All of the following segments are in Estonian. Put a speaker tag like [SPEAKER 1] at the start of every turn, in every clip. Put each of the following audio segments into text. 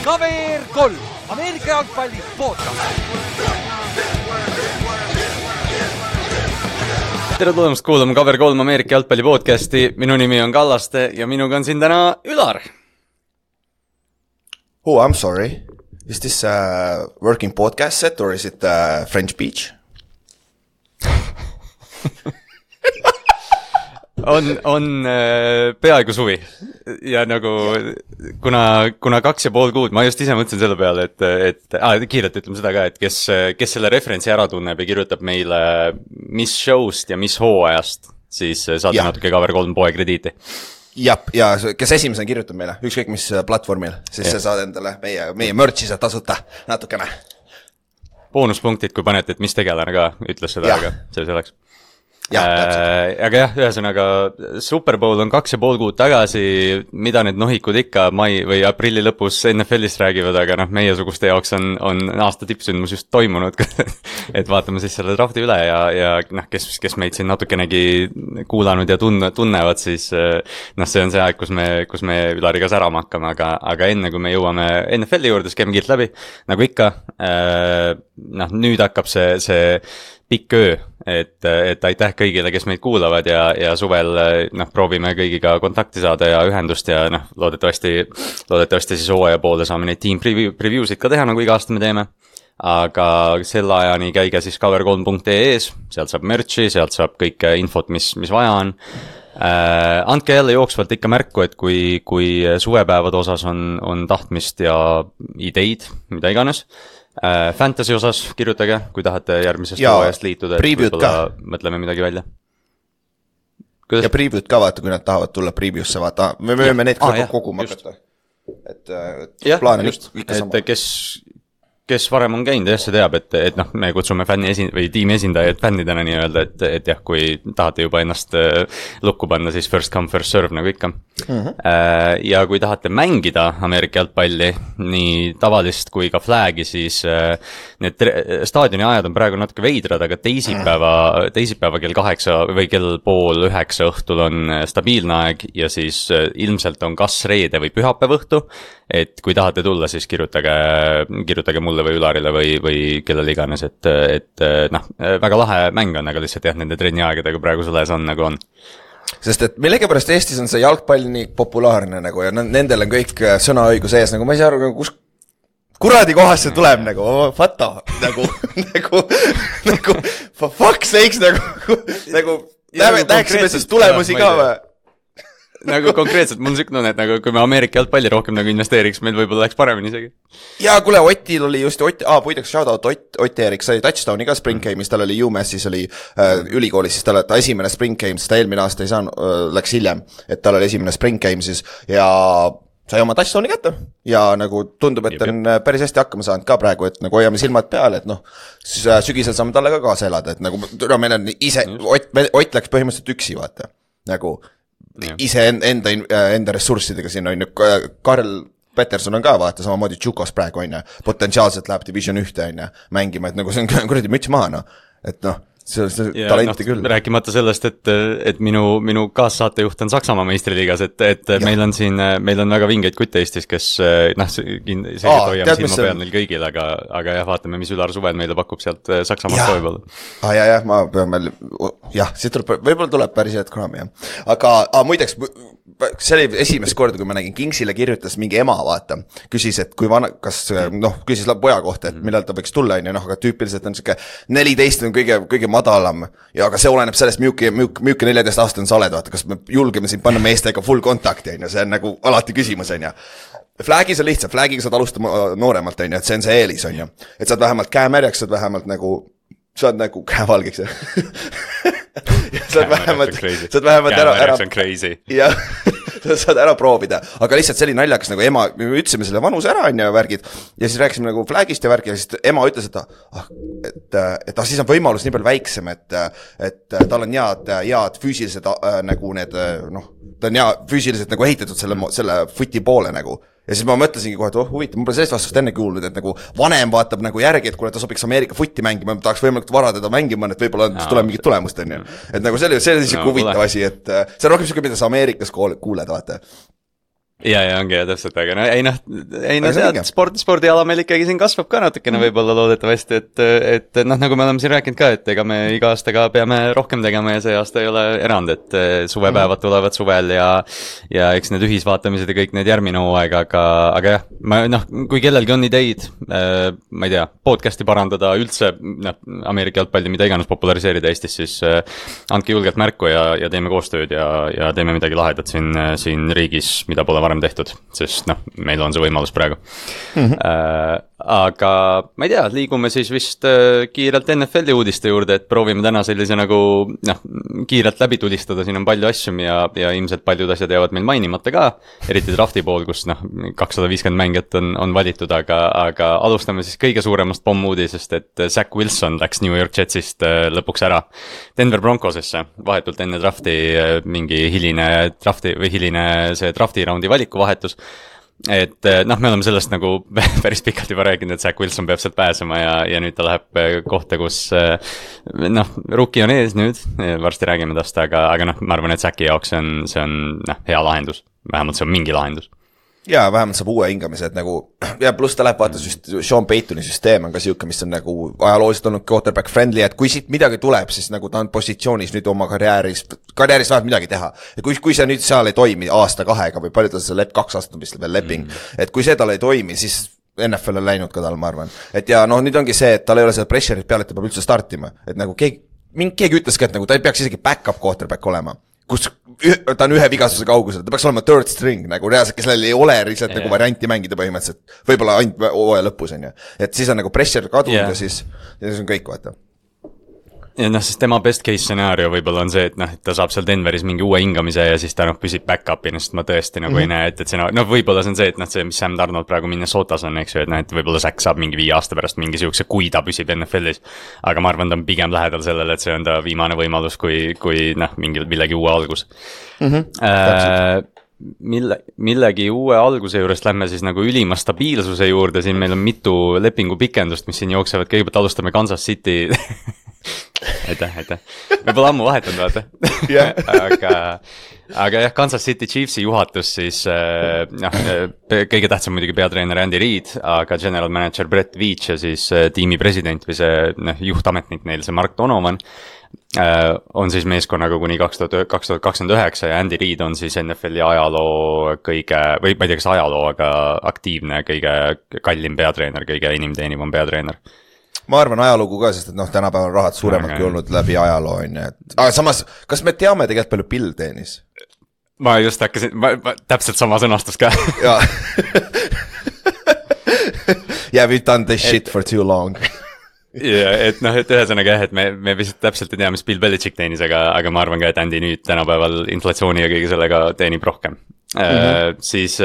[SPEAKER 1] Kaver 3, Ameerika jalgpalli podcast.
[SPEAKER 2] Tere tulemast kuulama Kaver 3 Ameerika jalgpalli podcasti. Minu nimi on Kallaste ja minuga on siin täna Ülar.
[SPEAKER 3] Oh, I'm sorry. Is this a working podcast set or is it a French beach?
[SPEAKER 2] on peaaegu suvi ja nagu kuna 2,5 kuud, ma just ise mõtlesin selle peale, et kiirelt ütleme seda ka, et kes selle referentsi ära tunneb ja kirjutab meile mis show'st ja mis hooajast, siis saate natuke Kaver 3 poe krediiti.
[SPEAKER 3] Ja kes esimesena kirjutab meile, ükskõik mis platvormil, siis see saad endale meie merch'i saad tasuta natukene.
[SPEAKER 2] Boonuspunktid, kui panete, et mis tegelane ka ütles seda, aga see oleks. Aga jah, ühesõnaga Super Bowl on 2,5 kuud tagasi, mida need nohikud ikka mai või aprilli lõpus NFL-ist räägivad, aga meie suguste jaoks on aasta tippsündmus just toimunud, et vaatame siis selle drafti üle ja kes meid siin natukenegi kuulanud ja tunnevad, siis see on see aeg, kus me Ülariga särama hakkame, aga enne kui me jõuame NFL-i juurde, siis käime kiirt läbi, nagu ikka, nüüd hakkab see pikk öö, et aitäh kõigile, kes meid kuulavad ja suvel proovime kõigiga kontakti saada ja ühendust ja loodetavasti siis hooaja poole saame neid team preview'sid ka teha, nagu iga aasta me teeme. Aga selle ajani käige siis cover3.ee-s, sealt saab merch'i, sealt saab kõike infot, mis vaja on. Andke jälle jooksvalt ikka märku, et kui suvepäevade osas on tahtmist ja ideid, mida iganes. Fantasy osas kirjutage, kui tahate järgmisest hooajast liituda, et võib-olla mõtleme midagi välja.
[SPEAKER 3] Ja preview'd ka vaata, kui nad tahavad tulla preview'sse, vaata, me võime neid koguma hakata. Et plaan on ikka sama. Kes varem on käinud, see teab, et me kutsume tiimi esindajaid fännidena nii öelda, et jah, kui tahate juba ennast lukku panna, siis first come, first serve nagu ikka. Ja kui tahate mängida Ameerika jalgpalli, nii tavalist kui ka flagi, siis need staadioni ajad on praegu natuke veidrad, aga teisipäeva kell 8 või kell 8:30 õhtul on stabiilne aeg ja siis ilmselt on kas reede või pühapäev õhtu, et kui tahate tulla, siis kirjutage mulle või Ülarile või kellel iganes, et väga lahe mäng on, aga lihtsalt jah, nende trenniaegadega praegu selles on nagu on. Sest et millegipärast Eestis on see jalgpall nii populaarne nagu ja nendel on kõik sõnaõigus ees, nagu ma ei saa aru, kus kuradi kohast see tuleb nagu, fata, nagu for fuck's sakes, nagu näeksime siis tulemusi ka või?
[SPEAKER 2] Nagu konkreetselt, mul on süknud, et nagu, kui me Ameerika jalgpalli rohkem nagu investeeriks, meil võib-olla läheks paremini isegi.
[SPEAKER 3] Ja kuule, Otil oli just, puidaks shoutout Ott Eerik sai touchdowni ka Spring Game'is, tal oli UMass'is oli ülikoolis, siis ta esimene Spring Game'is, ta eelmine aasta ei saanud, läks hiljem, et tal oli esimene Spring Game'is ja sai oma touchdowni kätte ja nagu tundub, et on päris hästi hakkama saanud ka praegu, et nagu hoiame silmad peale, et siis sügisel saame talle ka kaasa elada, et nagu meil on ise, Ott läks põhimõtteliselt üksi, vaata, nagu ise enda ressurssidega siin on Karl Peterson on ka vaata samamoodi Tšukos praegu on potentsiaalselt läheb Division 1 on mängima, et nagu see on kuradi müts maha et see talenti küll.
[SPEAKER 2] Rääkimata sellest, et minu kaassaatejuht on Saksamaa meistriliigas, et meil on väga vingeid kutte Eestis, kes selgelt hoiame silma peal neil kõigil, aga jah, vaatame, mis Ülar suvel meile pakub sealt Saksamaalt toival.
[SPEAKER 3] Ma peame, siit võib-olla tuleb päris head kunagi, aga muideks, see oli esimest korda, kui ma nägin, Kingsile kirjutas mingi ema, vaata, küsis, et kui küsis poja kohta, et millal ta võiks tulla, aga tüüpiliselt on siuke 14 on kõige madalam ja aga see oleneb sellest, milline 14-aastane sa oled, vaata, kas me julgeme siin panna meestega full kontakti, see on nagu alati küsimus, Flagis on lihtsalt, Flagiga saad alustama nooremalt, et see on see eelis, et saad vähemalt käemärjaks, saad vähemalt saad nagu käevalgiks saad vähemalt ära ja saad ära proovida, aga lihtsalt selline naljakas nagu ema, me ütlesime selle vanuse ära ja värgid ja siis rääkisime nagu flagist ja värgi ja siis ema ütles, et siis on võimalus nii palju väiksem, et tal on head füüsilised nagu need, ta on füüsiliselt nagu ehitatud selle footi poole nagu ja siis ma mõtlesingi kohe, et huvitav, ma pole sellest vastust enne kuulnud, et nagu vanem vaatab nagu järgi, et kui ta sobiks Ameerika footi mängima, ma tahaks võimalikult vara teda mängima, et võib-olla tuleb mingit tulemust, on ju. Et nagu see oli huvitav asi, et see on rohkem siuke, mida sa Ameerikas kuuled, vaata.
[SPEAKER 2] ja ongi ja täpselt, aga tead, spordiala meil ikkagi siin kasvab ka natukene võib-olla loodetavasti, et nagu me oleme siin rääkinud ka, et ega me iga aastaga peame rohkem tegema ja see aasta ei ole erand, et suvepäevad tulevad suvel ja eks need ühisvaatamised ja kõik need järgmine hooaeg, aga jah, kui kellelgi on ideid, ma ei tea, podcasti parandada üldse, Ameerika jalgpalli, mida iganes populariseerida Eestis, siis andke julgelt märku ja teeme koostööd ja teeme midagi lahedat siin riigis, mida pole varem tehtud, sest meil on see võimalus praegu. Aga ma ei tea, liigume siis vist kiirelt NFL-i uudiste juurde, et proovime täna sellise nagu kiirelt läbi tulistada, siin on palju asju ja ilmselt paljud asjad jäävad meil mainimata ka, eriti drafti pool, kus 250 mängijat on valitud, aga alustame siis kõige suuremast pommuudisest, et Zach Wilson läks New York Jetsist lõpuks ära Denver Broncosesse, vahetult enne drafti mingi hiline see drafti raundi valikuvahetus. Et me oleme sellest nagu päris pikalt juba rääkinud, et Zach Wilson peab sealt pääsema ja nüüd ta läheb kohta, kus rookie on ees nüüd, varsti räägime tast, aga ma arvan, et Zachi jaoks see on hea lahendus, vähemalt see on mingi lahendus.
[SPEAKER 3] Jaa, vähemalt saab uue hingamise, et nagu, ja pluss ta läheb vaata Sean Paytoni süsteem on ka siuke, mis on nagu ajalooliselt olnud quarterback friendly, et kui siit midagi tuleb, siis nagu ta on positsioonis nüüd oma karjääris vähemalt midagi teha. Ja kui see nüüd seal ei toimi aasta-kahega või palju ta see 2 aastat vist veel leping, et kui see tal ei toimi, siis NFL on läinud ka tal, ma arvan. Et ja nüüd ongi see, et tal ei ole seda pressure'it peale, et ta peab üldse startima, et nagu keegi ütles ka, et nagu ta ei peaks isegi back-up quarterback olema, kus ta on ühe vigastuse kaugusel, ta peaks olema third string, nagu reaalselt, kes ei ole lihtsalt nagu varianti mängida põhimõtteliselt, võib-olla ainult hooaja lõpus on ju, et siis on nagu pressure kadunud ja siis on kõik, vaata.
[SPEAKER 2] Ja sest tema best case scenaario võib-olla on see, et ta saab seal Denveris mingi uue hingamise ja siis ta püsib back-up'ina, sest ma tõesti nagu ei näe, et see võib-olla see on see, et see, mis Sam Darnold praegu Minnesotas on, eks ju, et võib-olla Zach saab mingi 5 aasta pärast mingi siukse, kui ta püsib NFL-is, aga ma arvan, ta on pigem lähedal sellele, et see on ta viimane võimalus, kui millegi uue algus. Millegi uue alguse juurest lähme siis nagu ülima stabiilsuse juurde, siin meil on mitu lepingu pikendust, mis siin jooksevad, kõigepealt alustame Kansas City aitäh, me pole ammu vahetanud, vaata aga jah, Kansas City Chiefsi juhatus siis kõige tähtsam muidugi peatreener Andy Reid, aga general manager Brett Veach ja siis tiimi president või see juhtametnik neil, see Mark Donovan on siis meeskonnaga kuni 2029 ja Andy Reid on siis NFL-i ajaloo või ma ei tea, kas ajaloo, aga aktiivne, kõige kallim peatreener, kõige inimteenivam peatreener.
[SPEAKER 3] Ma arvan ajalugu ka, sest et tänapäeval rahad suuremadki olnud läbi ajaloo on ju, et aga samas, kas me teame tegelikult palju Bill teenis?
[SPEAKER 2] Ma just hakkasin, täpselt sama sõnastus ka.
[SPEAKER 3] Jaa. Yeah, we've done this shit for too long.
[SPEAKER 2] Ja, et ühesõnaga jah, et me vist täpselt ei tea, mis Bill Belichick teenis, aga ma arvan ka, et Andy nüüd tänapäeval inflatsiooni ja kõige sellega teenib rohkem. Siis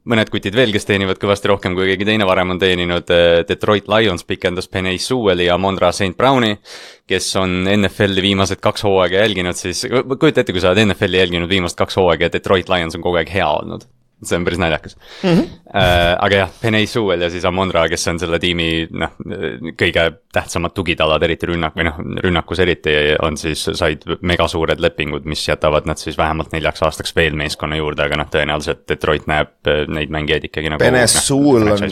[SPEAKER 2] mõned kutid veel, kes teenivad kõvasti rohkem, kui keegi teine varem on teeninud. Detroit Lions pikendas Penei Sewelli ja Amon-Ra St. Browni, kes on NFL-i viimased 2 hooaega jälginud, siis kujuta ette, kui sa oled NFL-i jälginud viimased 2 hooaega ja Detroit Lions on kogu aeg hea olnud. See on päris naljakas. Aga jah, Penei Sewell ja siis Amon-Ra, kes on selle tiimi kõige tähtsamad tugitalad, eriti rünnakus eriti, on siis said megasuured lepingud, mis jätavad nad siis vähemalt 4 aastaks veel meeskonna juurde, aga tõenäoliselt Detroit näeb neid mängijaid ikkagi nagu
[SPEAKER 3] Penei Sewell on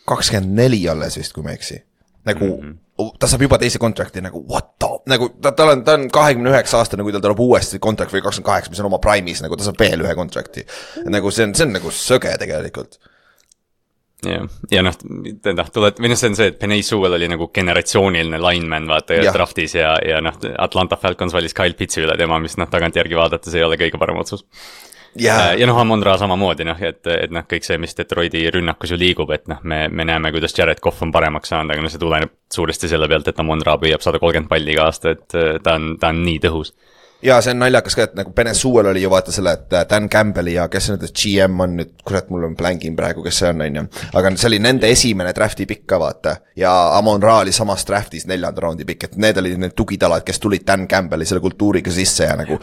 [SPEAKER 3] 24 alles vist, kui ma eksi. Nagu ta saab juba teise kontrakti nagu what the, nagu ta on 29 aastane, kui tal tuleb uuesti kontrakt või 28, mis on oma prime'is, nagu ta saab veel ühe kontrakti. Nagu see on nagu söge tegelikult.
[SPEAKER 2] Ja see on see, et Penei Sewell oli nagu generatsiooniline lineman vaata ja draftis ja Atlanta Falcons valis Kyle Pitsi üle tema, mis tagantjärgi vaadates ei ole kõige parem otsus. Ja Amon-Ra samamoodi, et kõik see, mis Detroiti rünnakus ju liigub, et me näeme, kuidas Jared Goff on paremaks saanud, aga see tuleneb suuresti selle pealt, et Amon-Ra püüab 130 palli iga aasta, et ta on nii tõhus.
[SPEAKER 3] Ja see on naljakas ka, et nagu Penei Sewell oli ju vaata selle, et Dan Campbelli ja kes nüüd GM on nüüd, kurat, mul on blängin praegu, kes see on ju, aga see oli nende esimene drafti pikk ka vaata ja Amon-Ra oli samas draftis 4. raundi pikk, et need olid need tugitalad, kes tulid Dan Campbelli selle kultuuriga sisse ja nagu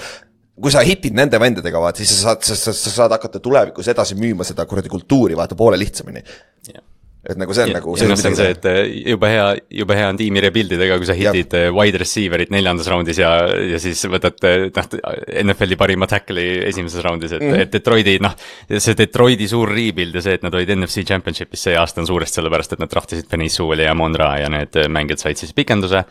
[SPEAKER 3] kui sa hitid nende vendadega, vaata, siis sa saad hakata tulevikus edasi müüma seda kuradi kultuuri, vaata, poole lihtsamini. Et nagu see on nagu
[SPEAKER 2] see on see, et juba hea on tiimi rebuildidega, kui sa hitid wide receiverit 4. raundis ja siis võtad NFL-i parima tackle'i esimeses raundis, et Detroiti, see Detroiti suur rebuild ja see, et nad olid NFC Championshipis see aasta on suurest sellepärast, et nad draftisid Penei Sewelli ja Amon-Ra ja need mängijad said siis pikenduse.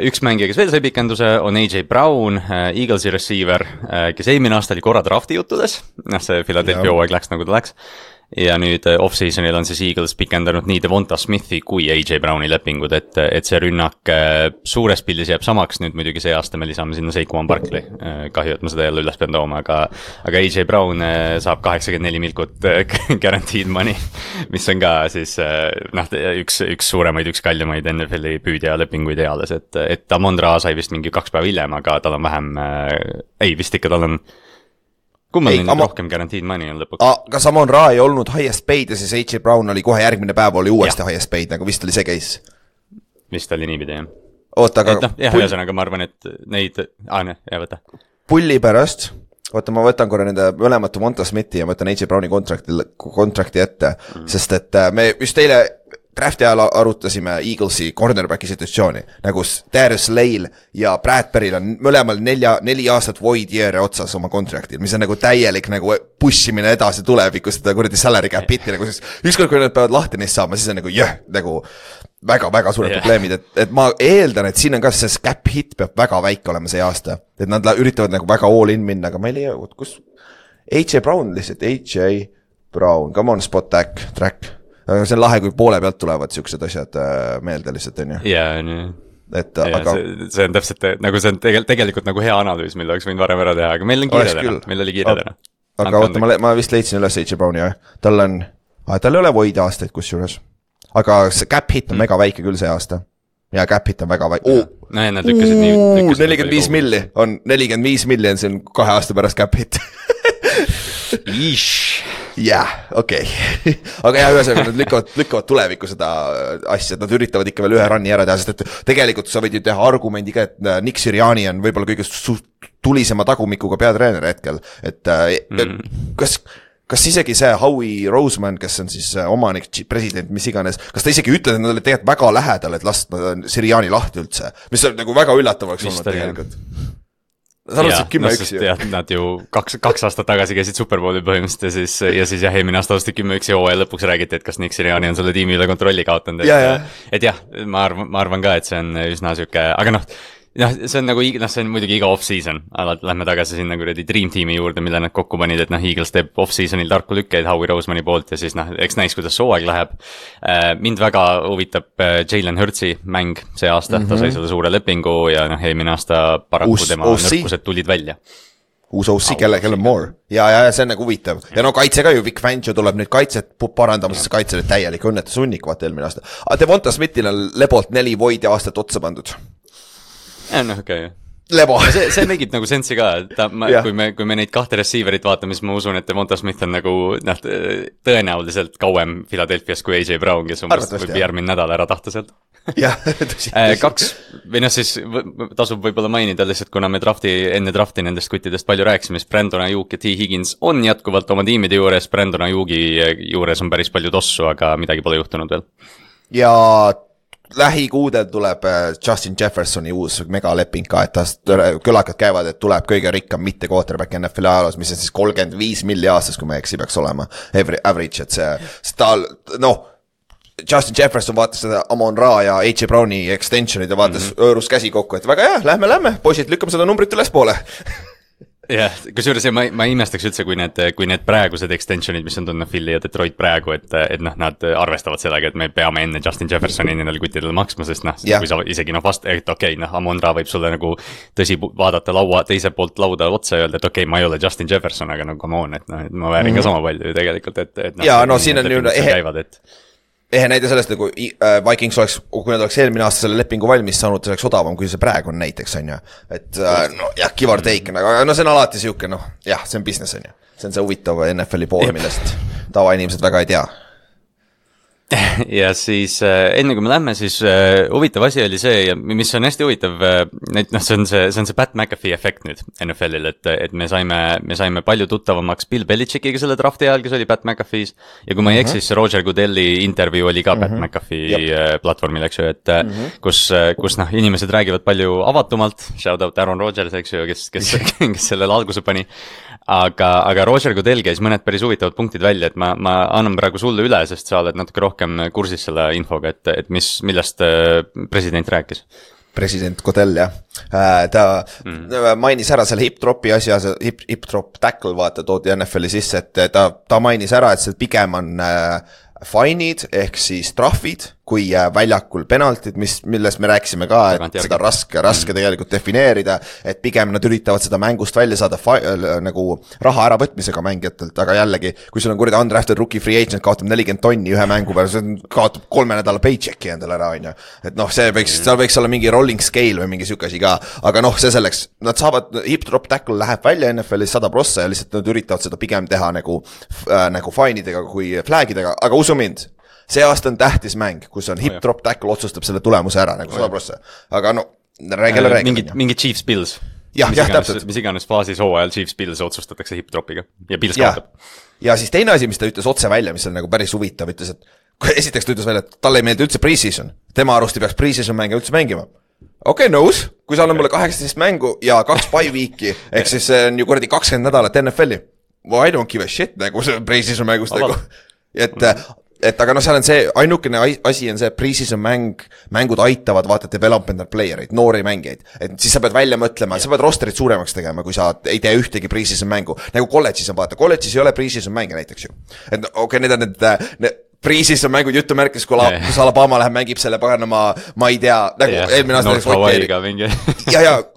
[SPEAKER 2] Üks mängija, kes veel sai pikenduse, on AJ Brown, Eaglesi receiver, kes eelmine aasta oli korra drafti juttudes, see Philadelphia hooaeg läks nagu ta läks. Ja nüüd off-seasonil on siis Eagles pikendanud nii Devonta Smithi kui AJ Browni lepingud, et see rünnak suures pildis jääb samaks, nüüd muidugi see aasta me lisame sinna Saquon Barkley, kahju, et ma seda jälle üles pean tooma, aga AJ Brown saab 84 milkut guaranteed money, mis on ka siis üks suuremaid, üks kallimaid NFL-i püüdja lepinguid eales, et Amon-Ra sai vist mingi 2 päeva hiljem, aga tal on vähem, vist ikka tal on kummal nüüd rohkem guaranteed money on lõpuks?
[SPEAKER 3] Kas Amon-Ra ei olnud highest paid ja siis AJ Brown oli kohe järgmine päev oli uuesti highest paid, nagu vist oli see case?
[SPEAKER 2] Vist oli niipidi, jah.
[SPEAKER 3] Oota, aga...
[SPEAKER 2] ühesõnaga ma arvan, et neid... võta.
[SPEAKER 3] Pulli pärast, ma võtan korra nende mõlemat Devonta Smithi ja ma võtan AJ Browni kontrakti ette, sest et me just teile drafti ajal arutasime Eaglesi cornerbacki situatsiooni, nagu Darius Slay ja Bradbury'l on mõlemal 4 aastat void year'i otsas oma kontraktil, mis on nagu täielik nagu pushimine edasi tulevikus, seda kuradi salary cap hit'i, nagu siis ükskord, kui nad peavad lahti neist saama, siis on nagu nagu väga suured probleemid, et ma eeldan, et siin on ka see cap hit peab väga väike olema see aasta, et nad üritavad nagu väga all in minna, aga ma ei leia, kus AJ Brown lihtsalt, AJ Brown, come on spot track. Aga see on lahe, kui poole pealt tulevad siuksed asjad meelde lihtsalt, on ju?
[SPEAKER 2] Jaa, nii.
[SPEAKER 3] Aga...
[SPEAKER 2] See on täpselt, nagu see on tegelikult nagu hea analüüs, mille oleks võinud varem ära teha, aga meil on kiire täna, meil oli kiire täna.
[SPEAKER 3] Aga oota, ma vist leidsin üles AJ Browni, jah. Tal ei ole void aastaid kusjuures. Aga see cap hit on mega väike küll see aasta. Ja cap hit on väga väike.
[SPEAKER 2] Nad lükkasid nii...
[SPEAKER 3] 45 milli on 45 milli, see on 2 aasta pärast cap hit. Jah, okei. Aga jah, ühesõnaga nad lükkavad tulevikku seda asja, nad üritavad ikka veel ühe runni ära teha, sest et tegelikult sa võid ju teha argumendiga, et Nick Sirianni on võib-olla kõige tulisema tagumikuga peatreener hetkel, et kas isegi see Howie Roseman, kes on siis omanik, president, mis iganes, kas ta isegi ütled, et nad olid tegelikult väga lähedal, et lasta Sirianni lahti üldse, mis on nagu väga üllatav oleks olnud tegelikult. Sa alustasid 10-1 ju.
[SPEAKER 2] Nad ju 2 aastat tagasi käisid Superbowli põhimõtteliselt ja siis eelmine aasta alustasid 10-1 ja hooaja lõpuks räägiti, et kas Nick Sirianni on selle tiimi üle kontrolli kaotanud. Et jah, ma arvan ka, et see on üsna süke, aga see on nagu, see on muidugi iga off-season, lähme tagasi sinna kuradi Dream Teami juurde, mille nad kokku panid, et Eagles teeb off-seasonil tarku lükkeid Howie Rosemani poolt ja siis eks näis, kuidas sooaeg läheb. Mind väga huvitab Jalen Hurtsi mäng see aasta, ta sai selle suure lepingu ja eelmine aasta paraku tema nõrkused tulid välja.
[SPEAKER 3] Uus OC, kelle more. Ja see on nagu huvitav. Ja kaitse ka ju, Vic Fangio tuleb nüüd kaitset parandama, sest kaitsele täielik õnnetus sunnik, vaata eelmine aasta. Devonta Smithil on lebolt 4 void ja aastat otsa pandud.
[SPEAKER 2] Okei.
[SPEAKER 3] Lebo.
[SPEAKER 2] See megib nagu sensi ka, kui me neid 2 receiverit vaatame, siis ma usun, et Devonta Smith on nagu tõenäoliselt kauem Philadelphias kui AJ Brown, kes võib järgmine nädal ära tahta sealt.
[SPEAKER 3] Jah,
[SPEAKER 2] tõsi. Või siis tasub võib-olla mainida lihtsalt, kuna me enne drafti nendest kuttidest palju rääkisime, siis Brandon Ayuk ja T. Higgins on jätkuvalt oma tiimide juures, Brandon Ayuki juures on päris palju tossu, aga midagi pole juhtunud veel.
[SPEAKER 3] Ja lähikuudel tuleb Justin Jeffersoni uus megaleping ka, et kõlakad käivad, et tuleb kõige rikkam mitte quarterback NFL ajaloos, mis on siis 35 milli aastas, kui ma eksi peaks olema average, et see tal, Justin Jefferson vaatas seda Amon-Ra ja AJ Browni extensionid ja vaatas õõrus käsi kokku, et väga hea, lähme, poisid, lükkame seda numbrit üles poole.
[SPEAKER 2] Jah, kusjuures ma imestaks üldse, kui need praegused extensionid, mis on tulnud Philly ja Detroit praegu, et nad arvestavad sellega, et me peame enne Justin Jeffersoni nendele kuttidele maksma, sest kui sa isegi Amon-Ra võib sulle nagu tõsi vaadata teise poolt lauda otsa ja öelda, et ma ei ole Justin Jefferson, aga come on, et ma väärin ka sama palju ju tegelikult, et
[SPEAKER 3] siin on ju ehe näide sellest, kui Vikings oleks, kui nad oleks eelmine aasta selle lepingu valmis saanud, see oleks odavam, kui see praegu on näiteks, on ju. Et give or take, aga see on alati siuke, see on business, on ju. See on see huvitav NFL-i pool, millest tavainimesed väga ei tea.
[SPEAKER 2] ja siis enne kui me lähme, siis huvitav asi oli see ja mis on hästi huvitav, et noh, see on see Pat McAfee efekt nüüd NFL-il, et me saime palju tuttavamaks Bill Belichickiga selle drafti ajal, kes oli Pat McAfee's ja kui ma ei eksi, siis Roger Goodelli intervjuu oli ka Pat McAfee platvormil, eks ju, et kus noh, inimesed räägivad palju avatumalt, shout out Aaron Rodgers, eks ju, kes sellele alguse pani. Aga Roger Goodell käis mõned päris huvitavad punktid välja, et ma annan praegu sulle üle, sest sa oled natuke rohkem kursis selle infoga, et millest president rääkis.
[SPEAKER 3] President Goodell, jah. Ta mainis ära selle hip-dropi asja, hip-drop tackle, vaata, toodi NFL-i sisse, et ta mainis ära, et see pigem on fine'id ehk siis trahvid kui väljakul penaltid, millest me rääkisime ka, et seda raske tegelikult defineerida, et pigem nad üritavad seda mängust välja saada nagu raha äravõtmisega mängijatelt, aga jällegi, kui sul on kuradi undrafted rookie free agent, kaotab 40 tonni ühe mängu peale, see kaotab 3 nädala paychecki endale ära, on ju. Et noh, seal võiks olla mingi rolling scale või mingi siuke asi ka, aga noh, see selleks, nad saavad, hip-drop tackle läheb välja NFL-is 100% ja lihtsalt nad üritavad seda pigem teha nagu fine'idega kui flag'idega, aga usu mind, see aasta on tähtis mäng, kus on hip-drop tackle otsustab selle tulemuse ära nagu 100%. Aga no, räägi.
[SPEAKER 2] Mingi Chiefs Bills.
[SPEAKER 3] Jah, täpselt.
[SPEAKER 2] Mis iganes faasis hooajal Chiefs Bills otsustatakse hip-dropiga ja Bills kaotab.
[SPEAKER 3] Ja siis teine asi, mis ta ütles otse välja, mis on nagu päris huvitav, ütles, et esiteks ta ütles välja, et talle ei meeldi üldse pre-season. Tema arust ei peaks pre-season mänge üldse mängima. Okei, nõus, kui sa annad mulle 18 mängu ja 2 bye week'i, ehk siis see on ju kuradi 20 nädalat NFL-i. Well, I don't give a shit, nagu see pre-season mängust nagu. Et aga noh, seal on see, ainukene asi on see pre-season mängud aitavad vaata development playereid, noori mängijaid. Et siis sa pead välja mõtlema, sa pead rosterit suuremaks tegema, kui sa ei tee ühtegi pre-season mängu. Nagu college'is on vaata, college'is ei ole pre-season mänge näiteks ju. Et okei, need on need pre-season mängud jutumärkis, kus Alabama läheb, mängib selle paganama, ma ei tea, nagu eelmine aasta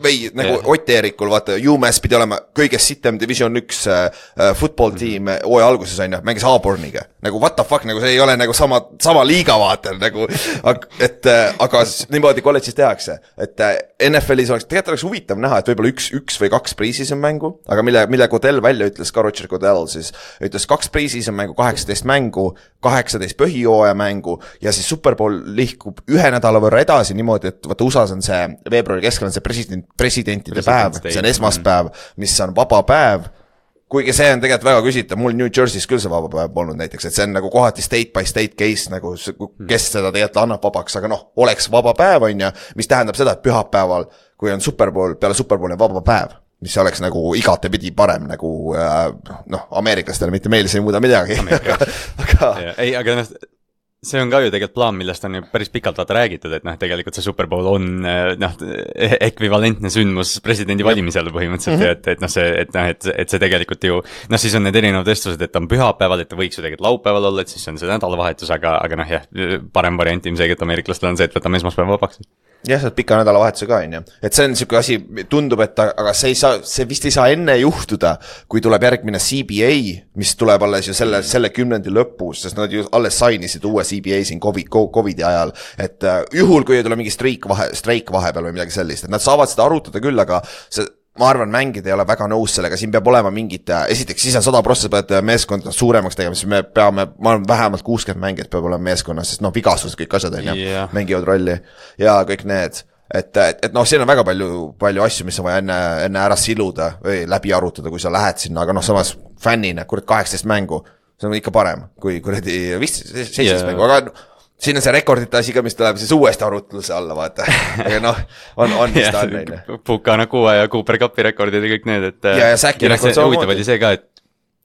[SPEAKER 3] või nagu Ott Eerikul, vaata, UMass pidi olema kõige sitem Division 1 football team hooaja alguses on ju, mängis Auburniga. Nagu what the fuck, nagu see ei ole nagu sama liiga vaata, nagu, aga niimoodi kolledžis tehakse. Et NFL-is tegelikult oleks huvitav näha, et võib-olla üks või 2 pre-season mängu, aga mille Goodell välja ütles, ka Roger Goodell siis, ütles 2 pre-season mängu, 18 mängu, 18 põhijooaja mängu ja siis Super Bowl lihkub 1 nädala võrra edasi niimoodi, et vaata USA's on see veebruari keskel on see presidentide päev, see on esmaspäev, mis on vaba päev, kuigi see on tegelikult väga küsitav, mul New Jersey's küll see vaba päev polnud näiteks, et see on nagu kohati state by state case, nagu kes seda tegelikult annab vabaks, aga noh, oleks vaba päev on ja mis tähendab seda, et pühapäeval, kui on Super Bowl, peale Super Bowli vaba päev, mis oleks nagu igatepidi parem nagu noh, ameeriklastele mitte meeles ei muuda midagi.
[SPEAKER 2] aga noh, see on ka ju tegelikult plaan, millest on ju päris pikalt vaata räägitud, et noh, tegelikult see Super Bowl on noh, ekvivalentne sündmus presidendi valimisel põhimõtteliselt, et noh, et see tegelikult ju, noh, siis on need erinevad vestlused, et on pühapäeval, et ta võiks ju tegelikult laupäeval olla, et siis on see nädalavahetus, aga noh, jah, parem variant ilmselt ameeriklastel on see, et võtame esmaspäeva vabaks.
[SPEAKER 3] Jah, see pika nädalavahetuse ka on ju. Et see on siuke asi, tundub, et aga see vist ei saa enne juhtuda, kui tuleb järgmine CBA, mis tuleb alles ju selle 10. lõpus, sest nad ju alles sainisid uue CBA siin COVID-i ajal, et juhul, kui ei tule mingi streik vahepeal või midagi sellist, et nad saavad seda arutada küll, aga ma arvan, mängid ei ole väga nõus sellega, siin peab olema mingid, esiteks siis on 100% pead meeskonda suuremaks tegema, siis me peame, ma arvan, vähemalt 60 mängijat peab olema meeskonnas, sest noh, vigastused kõik asjad on ja mängivad rolli ja kõik need, et noh, siin on väga palju asju, mis on vaja enne ära siluda või läbi arutada, kui sa lähed sinna, aga noh, samas fännina, 18 mängu, see on ikka parem, kui 17 mängu, aga siin on see rekordite asi ka, mis tuleb siis uuesti arutluse alla, vaata. Aga noh, on mis ta on neile.
[SPEAKER 2] Pukana Kua ja Cooper Cupi rekordid ja kõik need, et
[SPEAKER 3] ja Säki rekord
[SPEAKER 2] samamoodi. Oli see ka,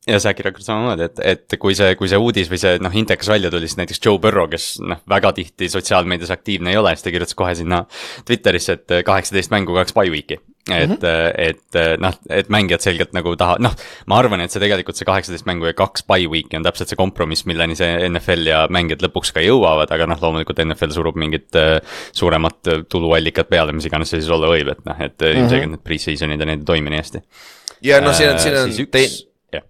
[SPEAKER 2] ja Säki rekord samamoodi, et kui see uudis või see intekas välja tuli, siis näiteks Joe Burrow, kes väga tihti sotsiaalmeedias aktiivne ei ole, siis ta kirjutas kohe sinna Twitterisse, et 18 mängu 2 bye week'i. Et mängijad selgelt nagu noh, ma arvan, et see tegelikult see 18 mängu ja 2 bye week'i on täpselt see kompromiss, milleni see NFL ja mängijad lõpuks ka jõuavad, aga noh, loomulikult NFL surub mingit suuremat tuluallikat peale, mis iganes see siis olla võib, et ilmselgelt need pre-seasonid ja need ei toimi nii hästi.
[SPEAKER 3] Ja no siin on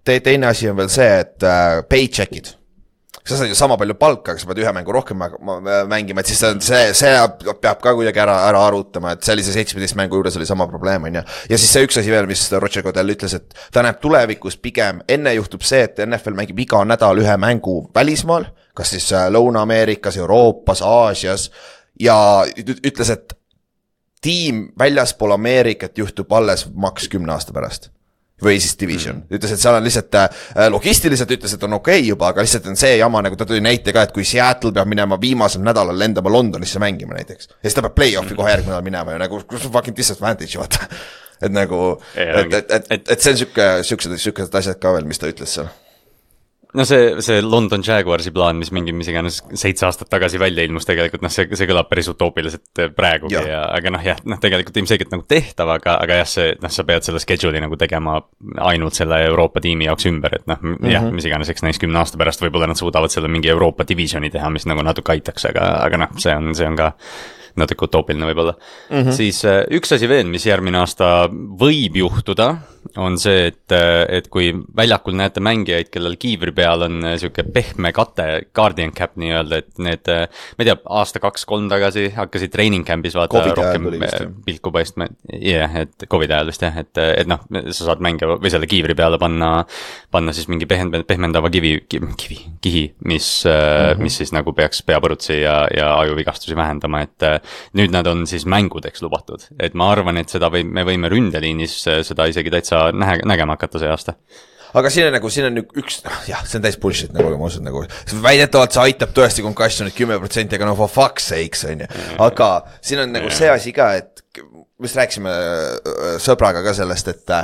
[SPEAKER 3] teine asi on veel see, et paycheck'id. sa saad ju sama palju palka, aga sa pead ühe mängu rohkem mängima, et siis see peab ka kuidagi ära arutama, et sellise 17 mängu juures oli sama probleem, on ju. Ja siis see üks asi veel, mis Roger Goodell ütles, et ta näeb tulevikus pigem, enne juhtub see, et NFL mängib iga nädal ühe mängu välismaal, kas siis Lõuna-Ameerikas, Euroopas, Aasias, ja ütles, et tiim väljaspool Ameerikat juhtub alles maks 10 aasta pärast. Või siis division. Ütles, et seal on lihtsalt logistiliselt ütles, et on okei juba, aga lihtsalt on see jama, nagu ta tuli näite ka, et kui Seattle peab minema viimasel nädalal lendama Londonisse mängima näiteks. Ja siis ta peab play-offi kohe järgmine nädal minema ja nagu fucking disadvantage, vaata. Et nagu, et see on siukesed asjad ka veel, mis ta ütles seal.
[SPEAKER 2] No see London Jaguarsi plaan, mis iganes 7 aastat tagasi välja ilmus tegelikult, see kõlab päris utoopiliselt praegugi, aga tegelikult ilmselgelt nagu tehtav, aga jah, sa pead selle schedule'i nagu tegema ainult selle Euroopa tiimi jaoks ümber, et jah, mis iganes, eks näis 10 aasta pärast võib-olla nad suudavad selle mingi Euroopa divisioni teha, mis nagu natuke aitaks, aga see on ka natuke utoopiline võib-olla. Siis üks asi veel, mis järgmine aasta võib juhtuda, on see, et kui väljakul näete mängijaid, kellel kiivri peal on siuke pehme kate, guardian cap nii-öelda, et need, ma ei tea, aasta 2-3 tagasi hakkasid training camp'is vaata
[SPEAKER 3] COVID
[SPEAKER 2] rohkem pilku paistma. Et COVID ajal vist jah, et sa saad mänge või selle kiivri peale panna siis mingi pehmendava kihi, mis siis nagu peaks peapõrutsi ja ajuvigastusi vähendama, et nüüd nad on siis mängudeks lubatud, et ma arvan, et me võime ründeliinis seda isegi täitsa nägema hakata see aasta.
[SPEAKER 3] Aga siin on üks, jah, see on täis bullshit, nagu ma usun, nagu väidetavalt see aitab tõesti concussionit 10%, aga for fuck's sakes, on ju. Aga siin on nagu see asi ka, et mis rääksime sõbraga ka sellest, et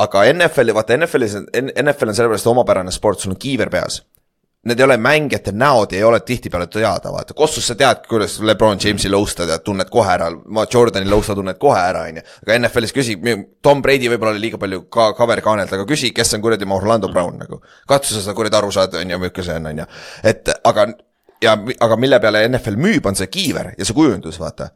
[SPEAKER 3] aga NFL on sellepärast omapärane sport, sul on kiiver peas. Need ei ole mängijate näod ja ei ole tihtipeale teada, vaata. Kossus sa tead, kuidas LeBron Jamesi lõustad ja tunned kohe ära, Jordani lõusta tunned kohe ära, on ju. Aga NFL-is küsi, Tom Brady võib-olla oli liiga palju cover-kaanelt, aga küsi, kes on kuradi Orlando Brown, nagu. Katsu sa kuradi aru saada, on ju, või see on ju. Et, aga mille peale NFL müüb, on see kiiver ja see kujundus, vaata.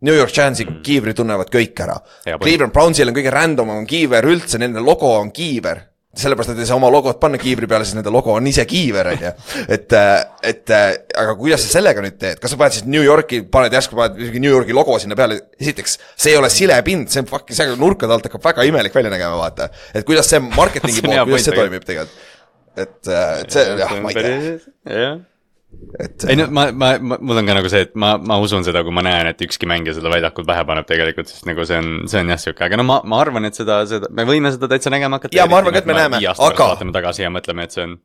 [SPEAKER 3] New York Giantsi kiivri tunnevad kõik ära. Cleveland Brownsil on kõige random on kiiver üldse, nende logo on kiiver. Sellepärast, et ei saa oma logot panna kiivri peale, siis nende logo on ise kiiver, on ju. Aga kuidas sa sellega nüüd teed? Kas sa paned siis New Yorki, järsku New Yorki logo sinna peale? Esiteks, see ei ole silepind, see on fucking, see nurkade alt hakkab väga imelik välja nägema, vaata. Et kuidas see marketingi pool, kuidas see toimib tegelikult? Et see, jah, ma ei tea.
[SPEAKER 2] Ei no, mul on ka nagu see, et ma usun seda, kui ma näen, et ükski mängija seda väljakul pähe paneb tegelikult, sest nagu see on jah siuke, aga no ma arvan, et me võime seda täitsa nägema hakata.
[SPEAKER 3] Ja ma arvan, et me näeme, aga
[SPEAKER 2] vaatame tagasi ja mõtleme, et see on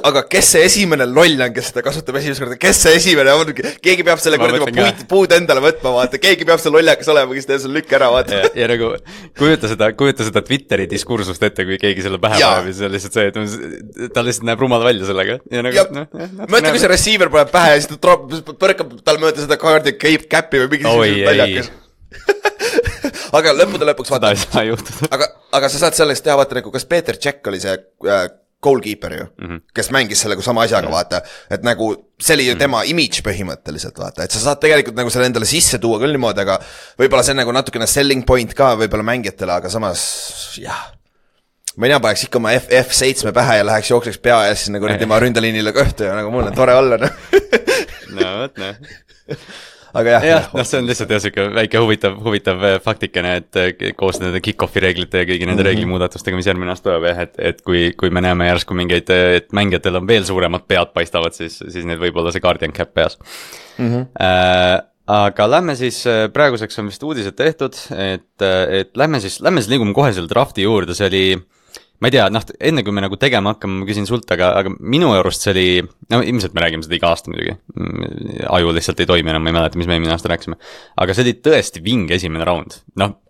[SPEAKER 3] aga kes see esimene loll on, kes seda kasutab esimest korda, kes see esimene on, keegi peab selle korda puud endale võtma, vaata, keegi peab see lollakas olema, kes teeb selle lükk ära, vaata.
[SPEAKER 2] Ja nagu, kujuta seda Twitteri diskursust ette, kui keegi selle pähe paneb, siis on lihtsalt see, et ta lihtsalt näeb rumal välja sellega.
[SPEAKER 3] Mõtle, kui see receiver paneb pähe ja siis ta põrkab tal mööda seda kaardi käppi või mingi väljakas. Aga lõpuks vaata. Aga sa saad sellest teha, vaata, nagu kas Peeter Tšekk oli see goalkeeper ju, kes mängis sellega sama asjaga, vaata, et nagu see oli ju tema image põhimõtteliselt, vaata, et sa saad tegelikult nagu selle endale sisse tuua küll niimoodi, aga võib-olla see on nagu natukene selling point ka võib-olla mängijatele, aga samas, jah, ma ei tea, paneks ikka oma F7 pähe ja läheks jookseks pea ja siis nagu tema ründeliinile kõhtu ja nagu mul on tore olla,
[SPEAKER 2] no võt,
[SPEAKER 3] aga jah,
[SPEAKER 2] see on lihtsalt siuke väike huvitav faktikene, et koos nende kick-offi reeglite ja kõigi nende reeglimuudatustega, mis järgmine aasta tuleb, et kui me näeme järsku mingeid, et mängijatel on veel suuremad pead paistavad, siis need võib olla see guardian cap peas. Aga lähme siis, praeguseks on vist uudised tehtud, et lähme siis liigume kohe selle drafti juurde, see oli ma ei tea, enne kui me nagu tegema hakkame, ma küsin sult, aga minu arust see oli, no ilmselt me räägime seda iga aasta muidugi, aju lihtsalt ei toimi enam, ma ei mäleta, mis me eelmine aasta rääksime, aga see oli tõesti vinge esimene raund.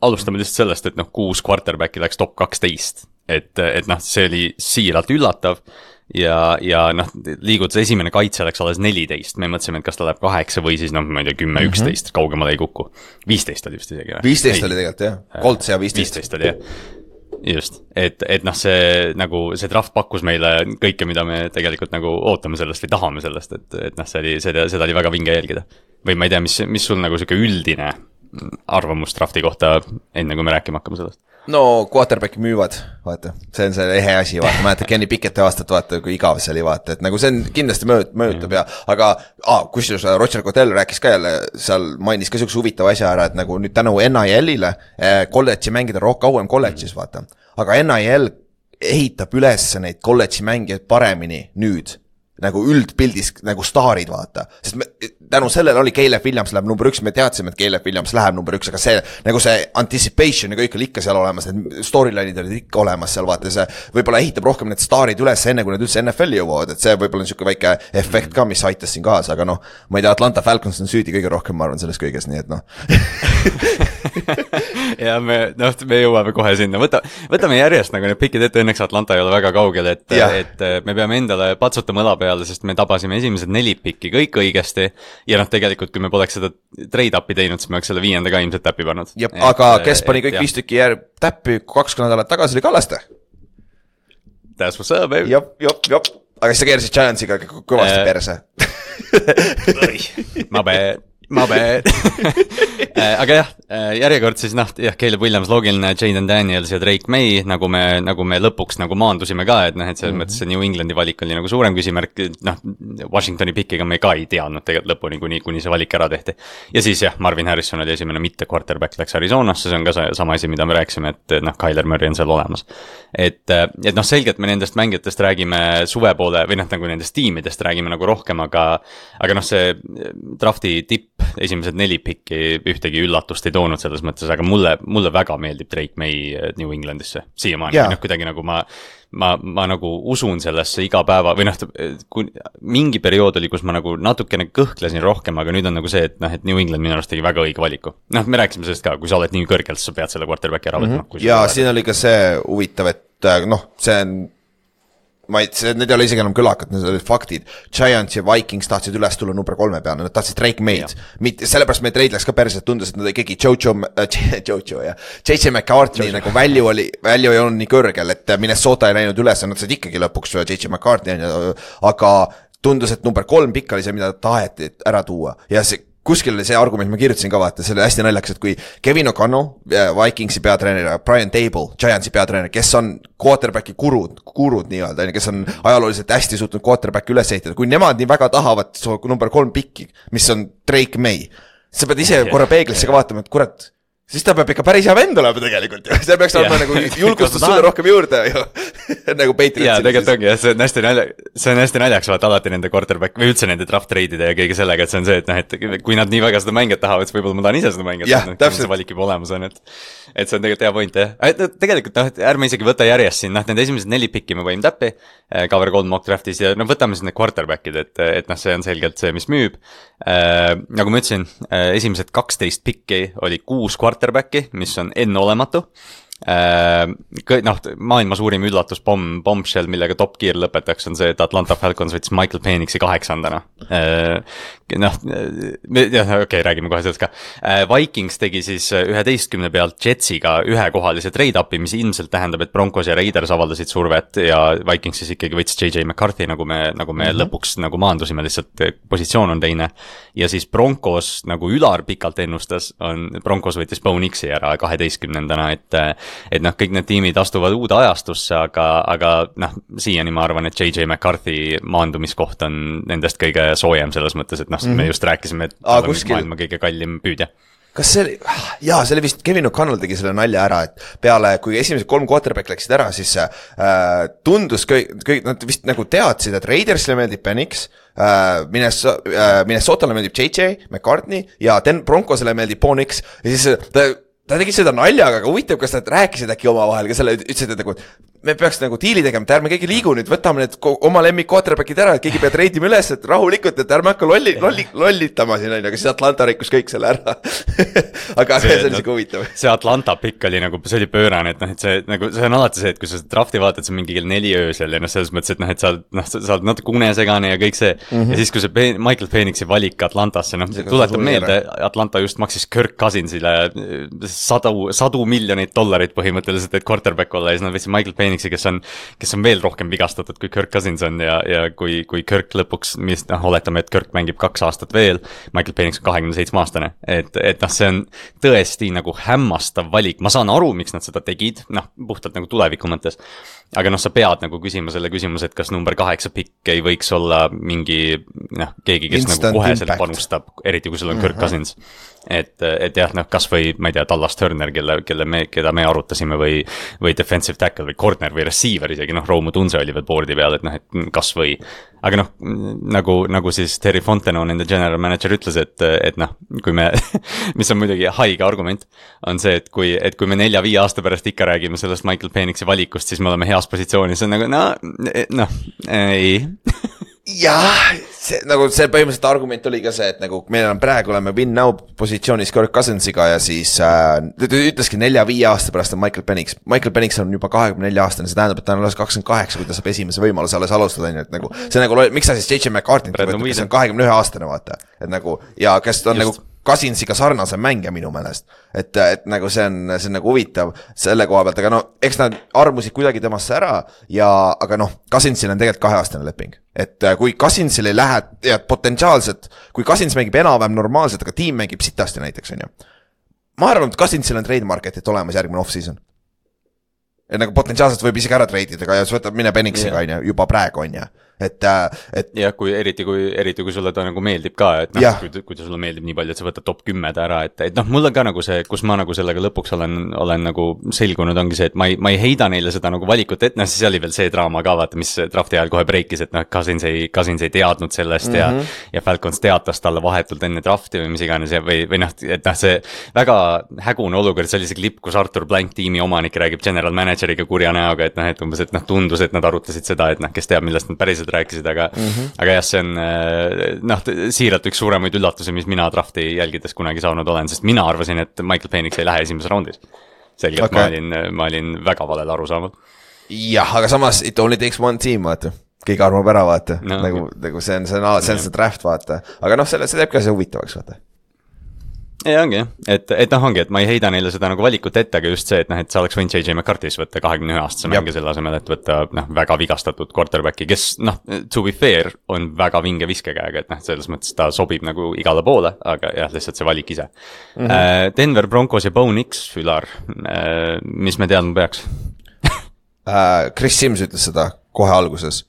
[SPEAKER 2] Alustame lihtsalt sellest, et 6 quarterbacki läks top 12, et see oli siiralt üllatav ja liigud see esimene kaitse läks alles 14, me mõtlesime, et kas ta läheb 8 või siis ma ei tea, 10, 11, kaugemale ei kuku. 15 oli vist isegi.
[SPEAKER 3] 15 oli tegelikult jah, Colts ja 15
[SPEAKER 2] oli jah. Just, et see nagu see draft pakkus meile kõike, mida me tegelikult nagu ootame sellest või tahame sellest, et seda oli väga vinge jälgida. Või ma ei tea, mis sul nagu siuke üldine arvamus drafti kohta, enne kui me rääkima hakkame sellest?
[SPEAKER 3] no quarterback'i müüvad, vaata, see on see ehe asi, vaata, mäletad Kenny Picketti aastat, vaata, kui igav see oli, vaata, et nagu see on kindlasti mõjutab ja, aga kusjuures Roger Goodell rääkis ka jälle, seal mainis ka siukse huvitava asja ära, et nagu nüüd tänu NIL-ile kolledži mängida kauem kolledžis, vaata, aga NIL ehitab üles neid kolledži mängijaid paremini nüüd nagu üldpildis nagu staarid, vaata, sest tänu sellele oli Caleb Williams läheb number 1, me teadsime, et Caleb Williams läheb number 1, aga see nagu see anticipation ja kõik oli ikka seal olemas, need storyline'id olid ikka olemas seal, vaata, see võib-olla ehitab rohkem need staarid üles enne, kui nad üldse NFL-i jõuavad, et see võib-olla on siuke väike efekt ka, mis aitas siin kaasa, aga noh, ma ei tea, Atlanta Falcons on süüdi kõige rohkem, ma arvan, selles kõiges, nii et noh.
[SPEAKER 2] ja me jõuame kohe sinna, võtame järjest nagu need pikid ette, õnneks Atlanta ei ole väga kaugel, et me peame endale patsutama õla peale, sest me tabasime esimesed 4 pikki kõik õigesti ja noh, tegelikult kui me poleks seda trade-up'i teinud, siis me oleks selle 5. ka ilmselt täppi pannud.
[SPEAKER 3] Aga kes pani kõik 5 tükki täppi 2 nädalat tagasi oli Kallaste?
[SPEAKER 2] That's what's up, baby.
[SPEAKER 3] Jop. Aga siis sa keersid Giantsiga kõvasti perse.
[SPEAKER 2] Ma bad. Aga jah, järjekord siis Caleb Williams, loogiline, Jaden Daniels ja Drake May, nagu me lõpuks nagu maandusime ka, et et selles mõttes see New Englandi valik oli nagu suurem küsimärk, Washingtoni pickiga me ka ei teadnud tegelikult lõpuni, kuni see valik ära tehti. Ja siis Marvin Harrison oli esimene mitte quarterback, läks Arizonasse, see on ka sama asi, mida me rääkisime, et Kyler Murray on seal olemas. Et selgelt me nendest mängijatest räägime suve poole, või nagu nendest tiimidest räägime nagu rohkem, aga see drafti tipp, esimesed 4 pikki ühtegi üllatust ei toonud selles mõttes, aga mulle väga meeldib Drake May New Englandisse siiamaani, kuidagi nagu ma nagu usun sellesse iga päeva, või mingi periood oli, kus ma nagu natukene kõhklesin rohkem, aga nüüd on nagu see, et New England minu arust tegi väga õige valiku. Me rääkisime sellest ka, kui sa oled nii kõrgelt, sa pead selle quarterbacki ära võtma.
[SPEAKER 3] Ja siin oli ka see huvitav, et see on need ei ole isegi enam kõlakad, need olid faktid. Giants ja Vikings tahtsid üles tulla number 3 peale, nad tahtsid Drake May'd. Sellepärast meie trade läks ka perselt, tundus, et nad keegi JJ McCartney nagu value ei olnud nii kõrgel, et Minnesota ei läinud üles, nad said ikkagi lõpuks JJ McCartney, aga tundus, et number 3 pikk oli see, mida taheti ära tuua ja see kuskil oli see argument, ma kirjutasin ka vaata, see oli hästi naljaks, et kui Kevin O'Connell, Vikingsi peatreener, Brian Dable, Giantsi peatreener, kes on quarterbacki kurud nii-öelda, kes on ajalooliselt hästi suutnud quarterbacki üles ehitada, kui nemad nii väga tahavad number 3 pikki, mis on Drake May, sa pead ise korra peeglisse ka vaatama, et kurat, siis ta peab ikka päris hea vend olema tegelikult ja see peaks olema nagu julgustus sulle rohkem juurde nagu Patriots.
[SPEAKER 2] Jaa, tegelikult ongi, see on hästi naljaks vaata alati nende quarterback või üldse nende draft trade'ide ja kõige sellega, et see on see, et kui nad nii väga seda mängijat tahavad, siis võib-olla ma tahan ise seda mängijat, see valik juba olemas on, et see on tegelikult hea point, jah. Tegelikult ärme isegi võta järjest siin, need esimesed 4 pikki me võime täppi, cover 3 mock draftis ja võtame siis need quarterbackid, et see on selgelt see, mis müüb. Nagu ma ütlesin, esimesed 12 pikki oli 6 quarterbacki, mis on enneolematu. Maailma suurim üllatus bombshell, millega Top Gear lõpetaks, on see, et Atlanta Falcons võttis Michael Penixi 8. Räägime kohe sellest ka. Vikings tegi siis 11 pealt Jetsiga ühekohalise trade-up'i, mis ilmselt tähendab, et Broncos ja Raiders avaldasid survet ja Vikings siis ikkagi võttis JJ McCarthy, nagu me lõpuks nagu maandusime, lihtsalt positsioon on teine. Ja siis Broncos, nagu Ülar pikalt ennustas, Broncos võttis Bo Nixi ära 12. et kõik need tiimid astuvad uude ajastusse, aga siiani ma arvan, et JJ McCarthy maandumiskoht on nendest kõige soojem selles mõttes, et me just rääkisime, et ta on maailma kõige kallim püüdja.
[SPEAKER 3] Kas see oli, see oli vist, Kevin O'Connell tegi selle nalja ära, et peale, kui esimesed 3 quarterback läksid ära, siis tundus nad vist nagu teadsid, et Raidersile meeldib Penix, Minnesotale meeldib JJ McCartney ja Broncosele meeldib Bo Nix ja siis ta tegi seda naljaga, aga huvitav, kas nad rääkisid äkki omavahel ka selle, ütlesid, et nagu me peaks nagu diili tegema, et ärme keegi liigu nüüd, võtame need oma lemmik quarterbackid ära, et keegi peab reidima üles, et rahulikult, et ärme hakka lollitama siin, aga siis Atlanta rikkus kõik selle ära. aga see oli siuke huvitav.
[SPEAKER 2] See Atlanta pikk oli nagu, see oli pöörane, et see on alati see, et kui sa drafti vaatad, see on mingi kell 4 öösel ja selles mõttes, et sa oled natuke unesegane ja kõik see. Ja siis, kui see Michael Penixi valik Atlantasse, tuletab meelde, Atlanta just maksis Kirk Cousinsile $100 miljonit põhimõtteliselt, et quarterback olla ja siis nad võtsid Michael Penix Penixi, kes on veel rohkem vigastatud kui Kirk Cousins on ja kui Kirk lõpuks, mis oletame, et Kirk mängib 2 aastat veel, Michael Penix on 27-aastane, et see on tõesti nagu hämmastav valik, ma saan aru, miks nad seda tegid, puhtalt nagu tuleviku mõttes, aga sa pead nagu küsima selle küsimuse, et kas number 8 pikk ei võiks olla mingi, keegi, kes instant nagu koheselt impact panustab, eriti kui sul on Kirk Cousins. Et jah, kas või, ma ei tea, Dallas Turner, keda me arutasime või defensive tackle või corner või receiver isegi, Roomu Tunse oli veel boardi peal, et kas või. Aga nagu siis Terry Fontenot, nende general manager ütles, et kui me, mis on muidugi haige argument, on see, et kui me 4-5 aasta pärast ikka räägime sellest Michael Penixi valikust, siis me oleme heas positsioonis, see on nagu, ei.
[SPEAKER 3] Jah, see põhimõtteliselt argument oli ka see, et nagu meil on praegu oleme win-now positsioonis Kirk Cousinsiga ja siis ütleski 4-5 aasta pärast on Michael Penix. Michael Penix on juba 24-aastane, see tähendab, et ta on alles 28, kui ta saab esimese võimaluse alles alustada, et nagu see nagu, miks sa siis J.J. McCartney võtad, kes on 21-aastane, vaata, et nagu, ja kes on just nagu Cousinsiga sarnase mängija minu meelest, et nagu see on nagu huvitav selle koha pealt, aga eks nad armusid kuidagi temasse ära aga Cousinsil on tegelikult 2-aastane leping, et kui Cousinsil ei lähe ja potentsiaalselt, kui Cousins mängib enam-vähem normaalselt, aga tiim mängib sitasti näiteks, on ju, ma arvan, et Cousinsil on trade marketit olemas järgmine off-season. Et nagu potentsiaalselt võib isegi ära treidida ja võtab mine Penixiga, on ju, juba praegu, on ju. Et
[SPEAKER 2] jah, eriti kui sulle ta nagu meeldib ka, et kui ta sulle meeldib nii palju, et sa võtad top 10 ära, et mul on ka nagu see, kus ma nagu sellega lõpuks olen nagu selgunud, ongi see, et ma ei heida neile seda nagu valikut, et siis oli veel see draama ka, vaata, mis drafti ajal kohe breikis, et Cousins ei teadnud sellest ja Falcons teatas talle vahetult enne drafti või mis iganes või et see väga hägune olukord, see oli see klipp, kus Arthur Blank tiimi omanik räägib general manageriga kurja näoga, et umbes, et tundus, et nad arutasid seda, et kes teab, millest nad päriselt rääkisid, aga jah, see on siiralt üks suuremaid üllatusi, mis mina drafti jälgides kunagi saanud olen, sest mina arvasin, et Michael Penix ei lähe esimeses raundis. Selgelt okay. ma olin väga valel aru saanud.
[SPEAKER 3] Jah, aga samas it only takes one team, vaata. Keegi arvab ära, vaata. Nagu see on see draft, vaata. Aga see teeb ka see huvitavaks, vaata.
[SPEAKER 2] Ja ongi, et ma ei heida neile seda nagu valikut ette, aga just see, et sa oleks võinud J.J. McCarthy's võtta 21-aastase mänge selle asemel, et võtta väga vigastatud quarterbacki, kes to be fair on väga vinge viskekäega, et selles mõttes ta sobib nagu igale poole, aga jah, lihtsalt see valik ise. Denver Broncos ja Bo Nix, Ülar, mis me teadma peaks?
[SPEAKER 3] Chris Sims ütles seda kohe alguses,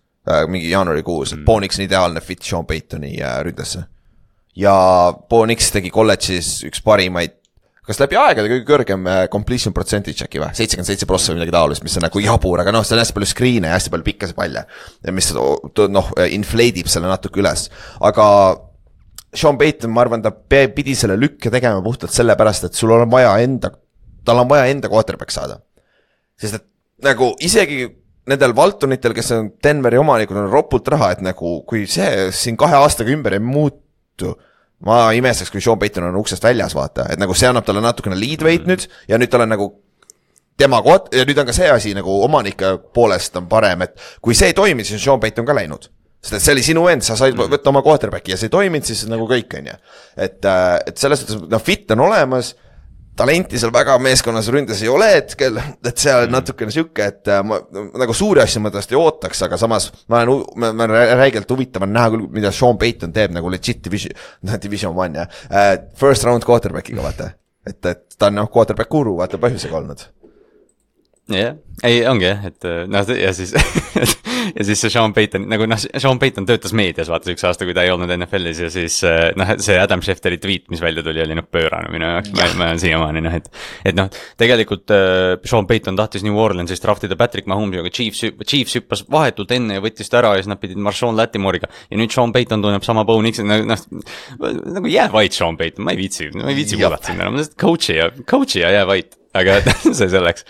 [SPEAKER 3] mingi jaanuarikuus, et Bo Nix on ideaalne fit Sean Paytoni ründesse. Ja Bo Nix tegi kolledžis üks parimaid, kas läbi aegade kõige kõrgem completion percentage äkki või, 77% või midagi taolist, mis on nagu jabur, aga see on hästi palju screen'e ja hästi palju pikkasi palle, mis inflate'ib selle natuke üles, aga Sean Payton, ma arvan, ta pidi selle lükke tegema puhtalt selle pärast, et sul on vaja tal on vaja enda quarterback saada, sest et nagu isegi nendel Valtonitel, kes on Denveri omanikud, on ropult raha, et nagu kui see siin 2 aastaga ümber ei muutu, ma imestaks, kui Sean Payton on uksest väljas, vaata, et nagu see annab talle natukene lead weight nüüd ja nüüd tal on nagu tema koht ja nüüd on ka see asi nagu omanike poolest on parem, et kui see ei toimi, siis on Sean Payton ka läinud, sest et see oli sinu end, sa said võtta oma quarterbacki ja see ei toiminud, siis nagu kõik on ju, et selles mõttes fit on olemas, talenti seal väga meeskonnas ründes ei ole hetkel, et seal natukene siuke, et ma nagu suuri asju ma tõesti ootaks, aga samas ma olen räigelt huvitav näha küll, mida Sean Payton teeb nagu legit division 1 ja first round quarterbackiga, vaata, et ta on quarterback guru, vaata põhjusega olnud.
[SPEAKER 2] Jah, ei ongi jah, et ja siis ja siis see Sean Payton, nagu Sean Payton töötas meedias, vaata üks aasta, kui ta ei olnud NFL-is ja siis see Adam Schefteri tweet, mis välja tuli, oli pöörane minu jaoks, ma olen siiamaani, et tegelikult Sean Payton tahtis New Orleansist draftida Patrick Mahomes'i, aga Chiefs hüppas vahetult enne ja võttis ta ära ja siis nad pidid Marshawn Lattimore'iga ja nüüd Sean Payton tunneb sama Bo Nixi, nagu jää vait Sean Payton, ma ei viitsi kuulata sinna, ma coach'i ja jää vait, aga see selleks,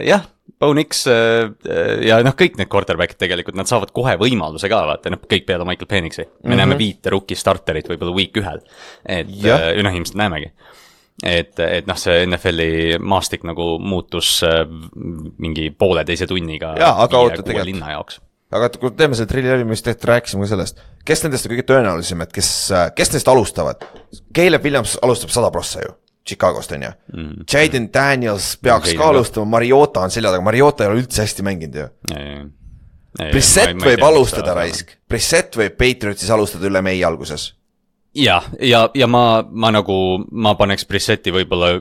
[SPEAKER 2] jah. Bo Nix ja kõik need quarterbackid tegelikult, nad saavad kohe võimaluse ka, vaata, kõik peale Michael Penixi. Me näeme 5 rookie starterit võib-olla week 1, et ilmselt näemegi. Et see NFL-i maastik nagu muutus mingi 1,5 tunniga
[SPEAKER 3] aga
[SPEAKER 2] linna jaoks.
[SPEAKER 3] Aga kui teeme selle trilli mis rääkisime ka sellest, kes nendest on kõige tõenäolisem, et kes nendest alustavad? Caleb Williams alustab 100% ju. Chicagost on ju. Jaden Daniels peaks ka alustama, Mariota on selja taga, Mariota ei ole üldse hästi mänginud ju. Brissett võib alustada raisk, Brissett võib Patriotsis alustada üle mei alguses.
[SPEAKER 2] Ja ma paneks Brissetti võib-olla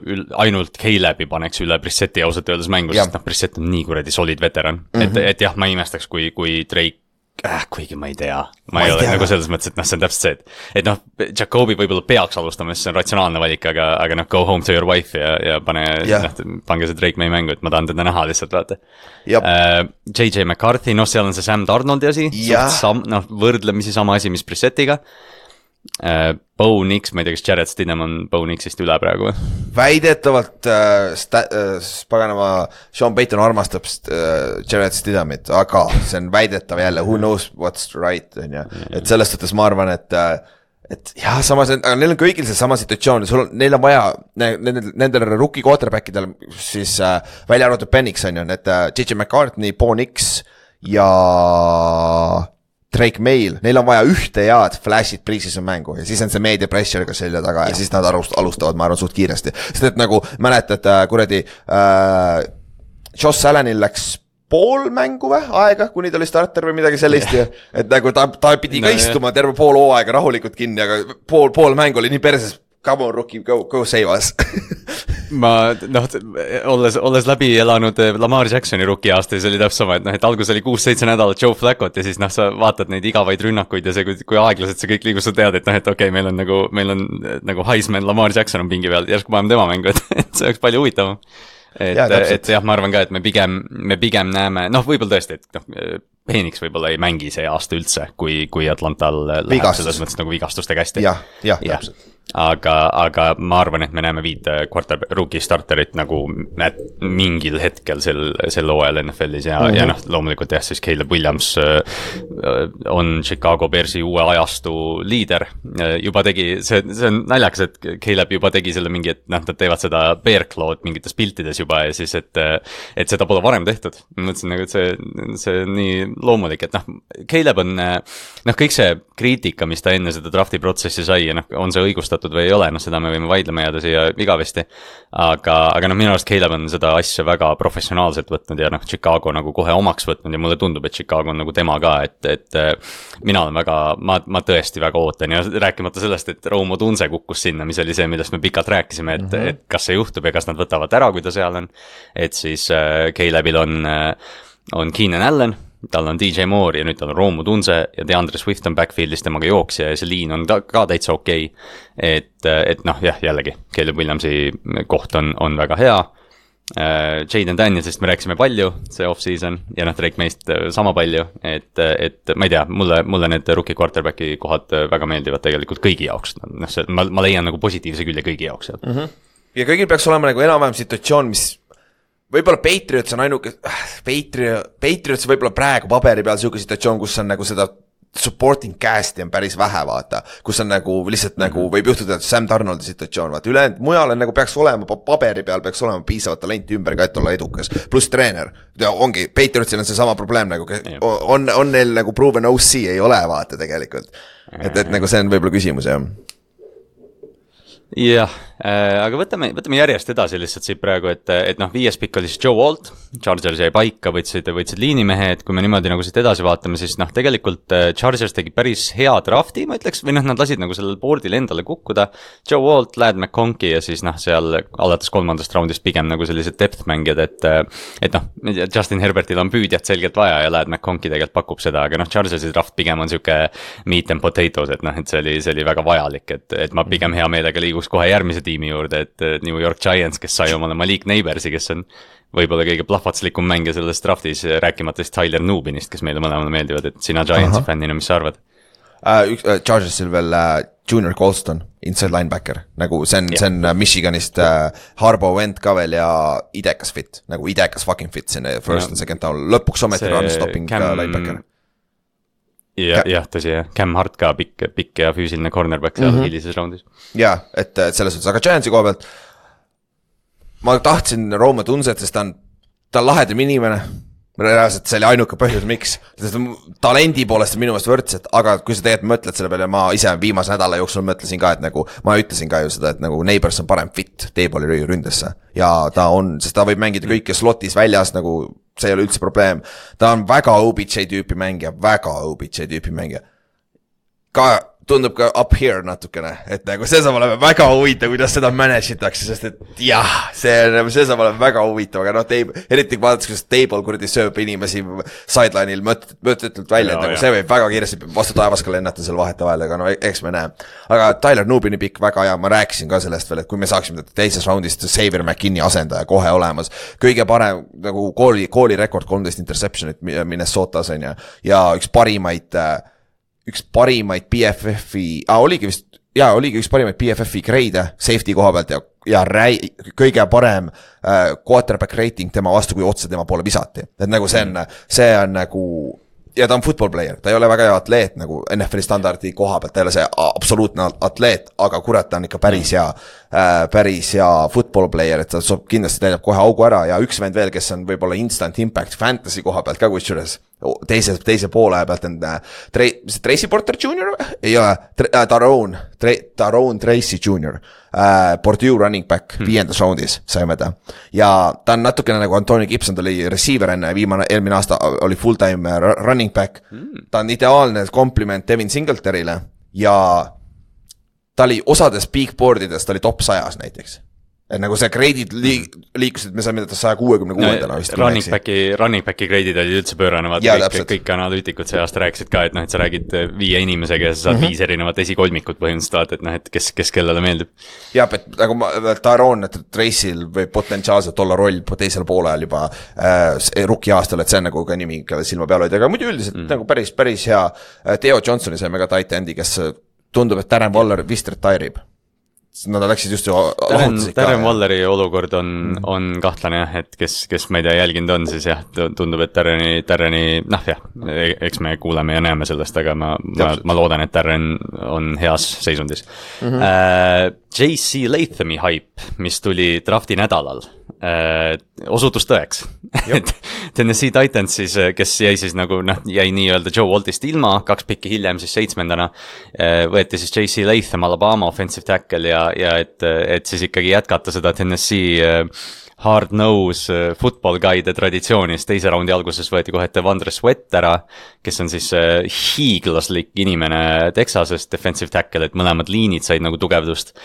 [SPEAKER 2] ainult Caleb'i paneks üle Brissetti ausalt öeldes mängu, sest Brissett on nii kuradi solid veteran, et jah, ma imestaks, kui Drake kuigi ma ei tea, ma ei ole nagu selles mõttes, et see on täpselt see, et Jacobi võib-olla peaks alustama, sest see on ratsionaalne valik, aga go home to your wife ja pange see Drake meie mängu, et ma tahan teda näha lihtsalt, vaata. JJ McCarthy, seal on see Sam Darnoldi asi, võrdlemisi sama asi, mis Brissettiga. Bo Nix, ma ei tea, kas Jared Stidham on Bo Nixist üle praegu?
[SPEAKER 3] Väidetavalt paganama Sean Payton armastab Jared Stidhamit, aga see on väidetav jälle, who knows what's right, on ju. Et selles suhtes ma arvan, et jah, samas, aga neil on kõigil see sama situatsioon, neil on vaja, nendel rookie quarterbackidel siis välja arvatud Penix on ju, et JJ McCartney, Bo Nix ja Drake Mail, neil on vaja ühte head flash'id pre-season mängu ja siis on see media pressure ka selja taga ja siis nad alustavad, ma arvan, suht kiiresti. Sest et nagu mäletad, kuradi Josh Allanil läks pool mängu aega, kuni ta oli starter või midagi sellist ja et nagu ta pidi ka istuma terve pool hooaega rahulikult kinni, aga pool mängu oli nii perses, come on rookie, go save us.
[SPEAKER 2] Ma olles läbi elanud Lamar Jacksoni rookie aasta ja see oli täpselt sama, et algus oli 6-7 nädalat Joe Flacot ja siis sa vaatad neid igavaid rünnakuid ja see, kui aeglaselt see kõik liigus, sa tead, et okei, meil on nagu Heisman Lamar Jackson on pingi peal, järsku paneme tema mängu, et see oleks palju huvitavam. Et jah, ma arvan ka, et me pigem näeme, võib-olla tõesti, et Phoenix võib-olla ei mängi see aasta üldse, kui Atlantal läheb selles mõttes nagu vigastuste kästi.
[SPEAKER 3] Jah, täpselt.
[SPEAKER 2] Aga ma arvan, et me näeme 5 rookie starterit nagu mingil hetkel sel hooajal NFL-is ja loomulikult jah, siis Caleb Williams on Chicago Bearsi uue ajastu liider. Juba tegi, see on naljakas, et Caleb juba tegi selle mingi, et nad teevad seda bear claw'd mingites piltides juba ja siis, et seda pole varem tehtud. Ma mõtlesin nagu, et see on nii loomulik, et Caleb on, kõik see kriitika, mis ta enne seda drafti protsessi sai ja on see õigustatud või ei ole, seda me võime vaidlema jääda siia igavesti, aga minu arust Caleb on seda asja väga professionaalselt võtnud ja Chicago nagu kohe omaks võtnud ja mulle tundub, et Chicago on nagu tema ka, et mina olen väga, ma tõesti väga ootan ja rääkimata sellest, et Rome Odunze kukkus sinna, mis oli see, millest me pikalt rääkisime, et kas see juhtub ja kas nad võtavad ära, kui ta seal on, et siis Calebil on Keenan Allen, tal on DJ Moore ja nüüd tal on Rome Odunze ja DeAndre Swift on backfieldis temaga jooksja ja see liin on ka täitsa okei. Et jällegi, Caleb Williamsi koht on väga hea. Jaden Danielsist me rääkisime palju, see off-season ja Drake meist sama palju, et ma ei tea, mulle need rookie quarterbacki kohad väga meeldivad tegelikult kõigi jaoks. Ma leian nagu positiivse külje kõigi jaoks.
[SPEAKER 3] Ja kõigil peaks olema nagu enam-vähem situatsioon, mis võib-olla Patriots on ainuke, Patriots võib-olla praegu paberi peal selline situatsioon, kus on nagu seda supporting cast'i on päris vähe, vaata, kus on nagu lihtsalt nagu võib juhtuda, et Sam Darnoldi situatsioon, vaata, ülejäänud mujal on nagu peaks olema, paberi peal peaks olema piisavat talenti ümber ka, et olla edukas, pluss treener, ongi, Patriotsil on see sama probleem nagu, on neil nagu proven OC ei ole, vaata tegelikult, et nagu see on võib-olla küsimus, jah.
[SPEAKER 2] Jah, aga võtame järjest edasi lihtsalt siit praegu, et 5. pikk oli siis Joe Alt, Chargers jäi paika, võtsid liinimehe, et kui me niimoodi nagu siit edasi vaatame, siis tegelikult Chargers tegi päris hea drafti, ma ütleks, või nad lasid nagu sellel boardil endale kukkuda, Joe Alt, Ladd McConkey ja siis seal alates 3. raundist pigem nagu sellised depth mängijad, et Justin Herbertil on püüdjat selgelt vaja ja Ladd McConkey tegelikult pakub seda, aga Chargersi draft pigem on siuke meat and potatoes, et see oli väga vajalik, et ma pigem hea meelega liigus kohe järgmise tiimi juurde, et New York Giants, kes sai omale Malik Neighborsi, kes on võib-olla kõige plahvatslikum mängija selles draftis, rääkimata siis Tyler Nubinist, kes meile mõlemale meeldivad, et sina Giantsi fännina, mis sa arvad?
[SPEAKER 3] Chargersil veel Junior Colston, inside linebacker, nagu see on Michiganist Harbo vend ka veel ja idekas fit, nagu idekas fucking fit sinne first and second down, lõpuks ometi run stopping linebacker.
[SPEAKER 2] Jah, tõsi jah, Cam Hart ka pikk ja füüsiline cornerback seal hilises raundis.
[SPEAKER 3] Jah, et selles suhtes, aga Giantsi koha pealt, ma tahtsin Rome Odunzet, sest ta on lahedam inimene, reaalselt see oli ainuke põhjus, miks. Talendi poolest minu meelest võrdselt, aga kui sa tegelikult mõtled selle peale, ma ise viimase nädala jooksul mõtlesin ka, et nagu, ma ütlesin ka ju seda, et nagu Neighbors on parem fit T-balli ründesse. Ja ta on, sest ta võib mängida kõike slotis väljas, nagu see ei ole üldse probleem. Ta on väga OBJ tüüpi mängija, ka tundub ka up here natukene, et nagu see saab olema väga huvitav, kuidas seda manage'itakse, sest et jah, see saab olema väga huvitav, aga eriti vaadates, kuidas Table kuradi sööb inimesi sideline'il mõtetult välja, et nagu see võib väga kiiresti vastu taevaska lennata seal vahetavahel, aga no eks me näe. Aga Tyler Nubini pikk väga hea, ma rääkisin ka sellest veel, et kui me saaksime teises raundist Xavier McKinney asendaja kohe olemas, kõige parem nagu kooli rekord 13 interceptionit Minnesotas on ja üks parimaid BFF-i, oligi üks parimaid BFF-i grade safety koha pealt ja kõige parem quarterback rating tema vastu, kui otse tema poole visati. Et nagu see on nagu, ja ta on football player, ta ei ole väga hea atleet nagu NFL standardi koha pealt, ta ei ole see absoluutne atleet, aga kurat, ta on ikka päris hea football player, et ta kindlasti täidab kohe augu ära ja üks vend veel, kes on võib-olla instant impact fantasy koha pealt ka kusjuures teise poole pealt on Tracy Porter Jr. ei ole, Tyrone Tracy Jr. Purdue running back 5. roundis saime ta ja ta on natukene nagu Antonio Gibson, ta oli receiver enne, eelmine aasta oli full-time running back, ta on ideaalne kompliment Devin Singletary'le ja ta oli osades peakboardides, ta oli top 100 näiteks. Et nagu see grade'id liikusid, me saime 166-ndana vist.
[SPEAKER 2] Running backi grade'id olid üldse pöörane, kõik analüütikud see aasta rääkisid ka, et noh, et sa räägid 5 inimesega ja sa saad 5 erinevat esikolmikut põhimõtteliselt, et noh, et kes kellele meeldib.
[SPEAKER 3] Jah, et nagu Tyrone Tracy'l võib potentsiaalselt olla roll teisel poolel juba rookie aastal, et see on nagu ka nimi, kelle silma peal hoida, aga muidu üldiselt nagu päris hea. Theo Johnsoni saime ka tight endi, kes tundub, et Darren Waller vist retire'ib. Nad läksid just ju
[SPEAKER 2] Darren Walleri olukord on kahtlane jah, et kes ma ei tea jälginud on, siis jah, tundub, et Darreni, noh jah, eks me kuuleme ja näeme sellest, aga ma loodan, et Darren on heas seisundis. J.C. Lathami hype, mis tuli drafti nädalal, osutus tõeks. Tennessee Titans siis, kes jäi siis nagu, jäi nii-öelda Joe Waltist ilma, 2 pikki hiljem siis 7. Võeti siis J.C. Latham, Alabama offensive tackle ja et siis ikkagi jätkata seda Tennessee hard nose football guy'de traditsioonis. Teise raundi alguses võeti kohe Devondre Sweat ära, kes on siis hiiglaslik inimene Texasest, defensive tackle, et mõlemad liinid said nagu tugevdust.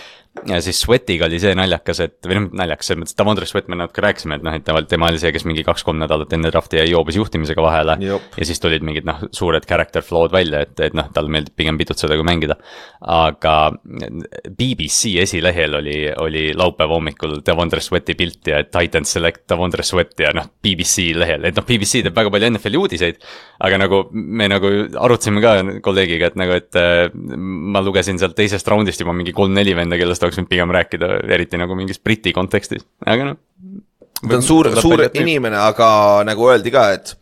[SPEAKER 2] Ja siis Sweatiga oli see naljakas, et või naljakas, et Devondre Sweat me natuke rääkisime, et et tema oli see, kes mingi 2-3 nädalat enne drafti jäi joobes juhtimisega vahele. Jop. Ja siis tulid mingid suured character flow'd välja, et tal meeldib pigem pidutseda kui mängida. Aga BBC esilehel oli laupäeva hommikul Devondre Sweati pilt ja Titans select Devondre Sweat ja BBC lehel, et BBC teeb väga palju NFL uudiseid, aga nagu me nagu arutasime ka kolleegiga, et ma lugesin sealt teisest raundist juba mingi 3-4 venda, kellest oleks võinud pigem rääkida, eriti nagu mingis briti kontekstis, aga
[SPEAKER 3] ta on suur inimene, aga nagu öeldi ka, et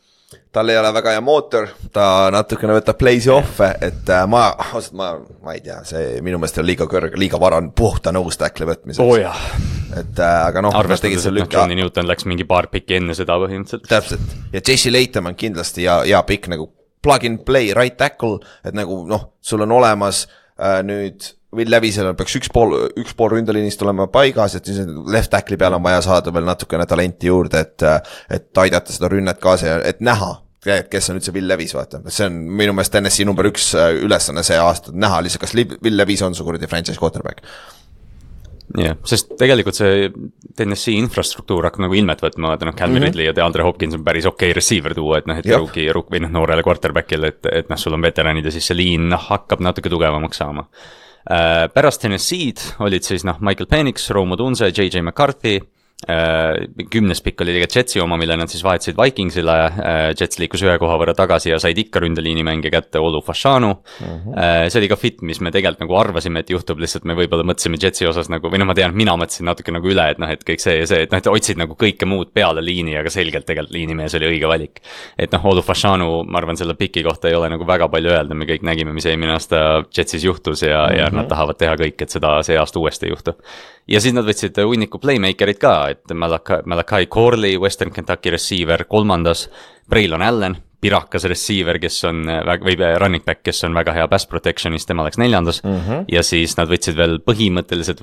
[SPEAKER 3] tal ei ole väga hea mootor, ta natukene võtab playsi offe, et ma ei tea, see minu meelest on liiga vara puhta nõustackle võtmiseks.
[SPEAKER 2] Jah.
[SPEAKER 3] Et aga
[SPEAKER 2] arvestades, et Johnny Newton läks mingi paar pikki enne seda põhimõtteliselt.
[SPEAKER 3] Täpselt, ja J.C. Latham on kindlasti ja pikk nagu plug and play right tackle, et nagu sul on olemas nüüd Will Levisel peaks üks pool ründeliinist olema paigas, et siis left tackli peal on vaja saada veel natukene talenti juurde, et aidata seda rünnet kaasa ja et näha, kes on üldse Will Levis, vaata. See on minu meelest Tennessee number 1 ülesanne see aasta, näha lihtsalt, kas Will Levis on su kuradi franchise quarterback.
[SPEAKER 2] Jah, sest tegelikult see Tennessee infrastruktuur hakkab nagu ilmet võtma, Calvin Ridley ja DeAndre Hopkins on päris okei receiver tuua, et või noorele quarterbackil, et sul on veteranid ja siis see liin hakkab natuke tugevamaks saama. Pärast Tennessee'd olid siis Michael Penix, Rome Odunze, J.J. McCarthy, 10. pikk oli tegelikult Jetsi oma, mille nad siis vahetasid Vikingsile, Jets liikus 1 koha võrra tagasi ja said ikka ründeliini mänge kätte Olu Fashanu. See oli ka fit, mis me tegelikult nagu arvasime, et juhtub, lihtsalt me võib-olla mõtlesime Jetsi osas nagu, või ma tean, mina mõtlesin natuke nagu üle, et kõik see ja see, et otsid nagu kõike muud peale liini, aga selgelt tegelikult liinimees oli õige valik. Et Olu Fashanu, ma arvan, selle piki kohta ei ole nagu väga palju öelda, me kõik nägime, mis eelmine aasta Jetsis juhtus ja nad tahavad teha kõik, et seda see aasta uuesti ei juhtu. Ja siis nad võtsid hunniku playmakerit ka, et Malachi Corley, Western Kentucky receiver 3, Braylon Allen, pirakas receiver, kes on või running back, kes on väga hea pass protection'is, tema läks 4. Ja siis nad võtsid veel põhimõtteliselt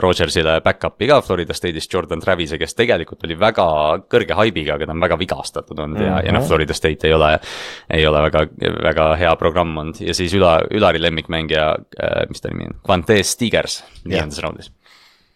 [SPEAKER 2] Rodgersile back-up'i ka Florida State'is Jordan Travise, kes tegelikult oli väga kõrge haibiga, aga ta on väga vigastatud olnud ja noh, Florida State ei ole väga hea programm olnud ja siis Ülari lemmikmängija, mis ta nimi on, Quantez Stigers 4. raundis.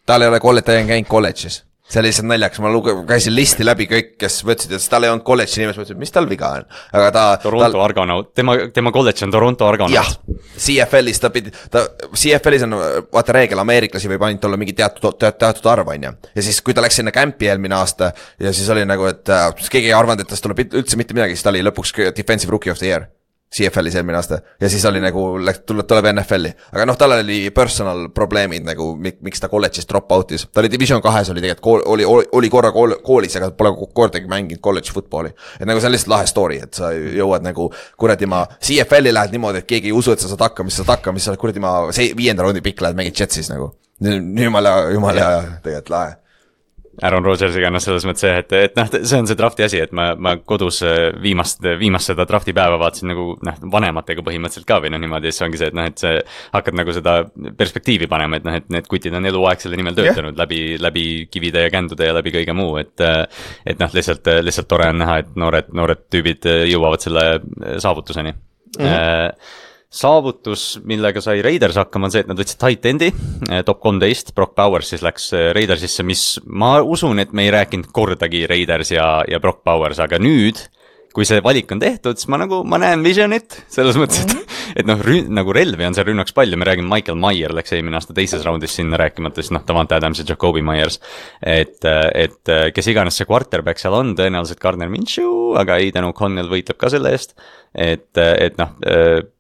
[SPEAKER 3] Tal ei ole käinud kolledžis. See oli lihtsalt naljakas, ma käisin listi läbi kõik, kes võtsid, et tal ei olnud kolledži nimes, mõtlesin, mis tal viga on. Aga
[SPEAKER 2] Toronto Argonaut, tema kolledž on Toronto Argonaut.
[SPEAKER 3] Jah, CFL-is CFL-is on vaata reegel, ameeriklasi võib ainult olla mingi teatud arv, on ja siis kui ta läks sinna campi eelmine aasta ja siis oli nagu, et keegi ei arvanud, et tast tuleb üldse mitte midagi, siis ta oli lõpuks defensive rookie of the year CFL-is eelmine aasta ja siis oli nagu, tuleb NFL-i, aga noh, tal oli personal probleemid nagu, miks ta kolledžist drop out'is, ta oli Division 2, oli tegelikult, oli korra koolis, aga pole kordagi mänginud college footballi, et nagu see on lihtsalt lahe story, et sa jõuad nagu kuradi ma CFL-i lähed niimoodi, et keegi ei usu, et sa saad hakkama, siis sa kuradi ma 5. raundi pikk lähed mängid Jetsis nagu, jumala tegelikult lahe.
[SPEAKER 2] Aaron Rodgersiga, noh, selles mõttes see, et noh, see on see drafti asi, et ma kodus viimast seda drafti päeva vaatasin nagu, noh, vanematega põhimõtteliselt ka või noh, niimoodi, siis ongi see, et noh, et see hakkad nagu seda perspektiivi panema, et noh, et need kutid on eluaeg selle nimel töötanud läbi kivide ja kändude ja läbi kõige muu, et noh, lihtsalt tore on näha, et noored tüübid jõuavad selle saavutuseni. Saavutus, millega sai Raiders hakkama, on see, et nad võtsid tight endi, top 13, Brock Bowers siis läks Raidersisse, mis ma usun, et me ei rääkinud kordagi Raiders ja Brock Bowers, aga nüüd, kui see valik on tehtud, siis ma näen visionit, selles mõttes, et noh, nagu relvi on seal rünnaks palju, me räägime Michael Mayer läks eelmine aasta 2. raundis sinna rääkimata, siis noh, Davante Adams ja Jacoby Myers, et kes iganes see quarterback seal on, tõenäoliselt Gardner Minshew, aga Aiden O'Connell võitleb ka selle eest, et noh,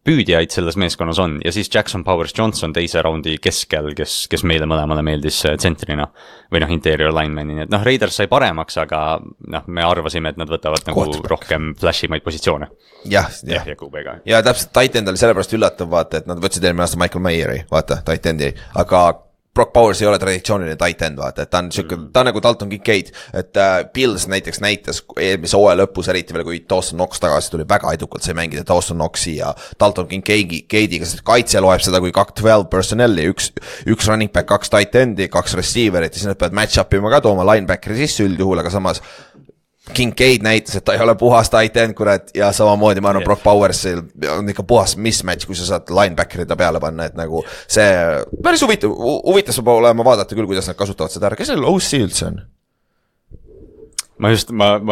[SPEAKER 2] püüdjaid selles meeskonnas on ja siis Jackson Powers Johnson 2. raundi keskel, kes meile mõlemale meeldis tsentrina või noh, interior lineman'i, et noh, Raiders sai paremaks, aga noh, me arvasime, et nad võtavad nagu rohkem flashimaid positsioone.
[SPEAKER 3] Ja täpselt tight end oli sellepärast üllatav, vaata, et nad võtsid eelmine aasta Michael Mayeri, vaata, tight endi, aga Brock Bowers ei ole traditsiooniline tight end, vaata, et ta on nagu Dalton Kincaid, et Bills näiteks näitas eelmise hooaja lõpus, eriti veel kui Dawson Knox tagasi tuli, väga edukalt sai mängida Dawson Knoxi ja Dalton Kincaidiga, sest kaitse loeb seda kui 12 personnelli, üks running back, 2 tight endi, 2 receiverit ja siis nad peavad match up ima ka tooma linebackeri sisse üldjuhul, aga samas Kincaid näitas, et ta ei ole puhas tight end, kurat, ja samamoodi ma arvan, Brock Bowers on ikka puhas mismatch, kui sa saad linebacker'i ta peale panna, et nagu see päris huvitav saab olema vaadata küll, kuidas nad kasutavad seda ära. Kes seal OC üldse on?
[SPEAKER 2] Ma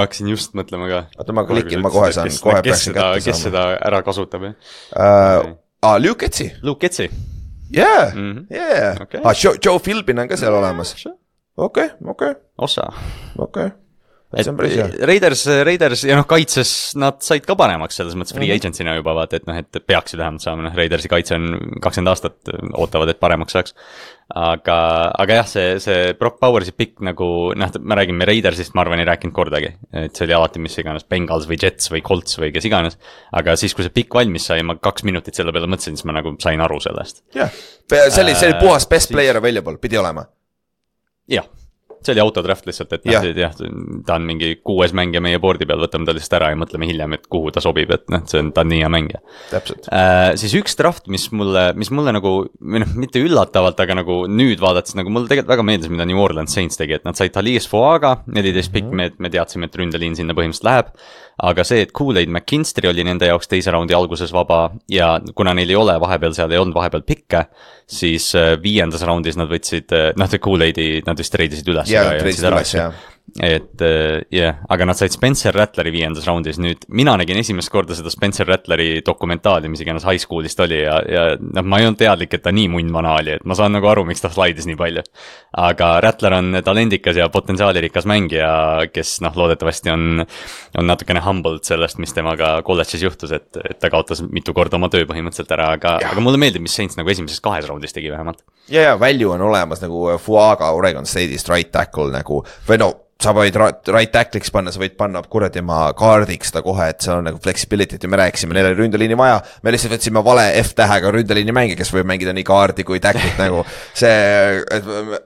[SPEAKER 2] hakkasin just mõtlema ka.
[SPEAKER 3] Oota, ma klikin, ma kohe saan, kohe peaksin kätte saama.
[SPEAKER 2] Kes seda ära kasutab,
[SPEAKER 3] Luke Getzi.
[SPEAKER 2] Luke Getzi.
[SPEAKER 3] Yeah. Okay. Joe Philbin on ka seal olemas. Okay.
[SPEAKER 2] Osa.
[SPEAKER 3] Okay.
[SPEAKER 2] Raiders ja noh, kaitses nad said ka paremaks selles mõttes free agentsina juba vaata, et noh, et peaksid vähemalt saama, noh, Raidersi kaitse on 20 aastat ootavad, et paremaks saaks. Aga jah, see Brock Bowersi pikk nagu, noh, me räägime Raidersist, ma arvan, ei rääkinud kordagi, et see oli alati mis iganes Bengals või Jets või Colts või kes iganes, aga siis, kui see pikk valmis sai, ma 2 minutit selle peale mõtlesin, siis ma nagu sain aru sellest.
[SPEAKER 3] Jah, see oli puhas best player available, pidi olema.
[SPEAKER 2] Jah. See oli autodraft lihtsalt, et jah, ta on mingi 6 mängija meie boardi peal, võtame ta lihtsalt ära ja mõtleme hiljem, et kuhu ta sobib, et noh, ta on nii hea mängija.
[SPEAKER 3] Täpselt.
[SPEAKER 2] Siis üks draft, mis mulle nagu, või noh, mitte üllatavalt, aga nagu nüüd vaadates, nagu mulle tegelikult väga meeldis, mida New Orleans Saints tegi, et nad said Talies Fuaga, 14 pikk, me teadsime, et ründeliin sinna põhimõtteliselt läheb, aga see, et Kool-Aid McKinstry oli nende jaoks 2. raundi alguses vaba ja kuna neil ei ole vahepeal seal, ei olnud vahepeal pikke, siis 5. raundis nad võtsid, noh, Kool-Aidi nad vist treidisid üles.
[SPEAKER 3] Ja treidisid üles, jah.
[SPEAKER 2] Et aga nad said Spencer Rattleri 5. raundis, nüüd mina nägin esimest korda seda Spencer Rattleri dokumentaali, mis iganes high school'ist oli ja noh, ma ei olnud teadlik, et ta nii munnvana oli, et ma saan nagu aru, miks ta slaidis nii palju. Aga Rattler on talendikas ja potentsiaalirikas mängija, kes noh, loodetavasti on natukene humbled sellest, mis temaga kolledžis juhtus, et ta kaotas mitu korda oma töö põhimõtteliselt ära, aga mulle meeldib, mis Saints nagu esimeses 2 raundis tegi vähemalt.
[SPEAKER 3] Ja value on olemas nagu Fuaga Oregon State'ist right tackle nagu, või no sa võid right tackliks panna, sa võid panna kuradi ma kaardiks ta kohe, et see on nagu flexibility't ja me rääkisime, neil oli ründeliini vaja, me lihtsalt võtsime vale F-tähega ründeliini mängi, kes võib mängida nii kaardi kui tacklit nagu see,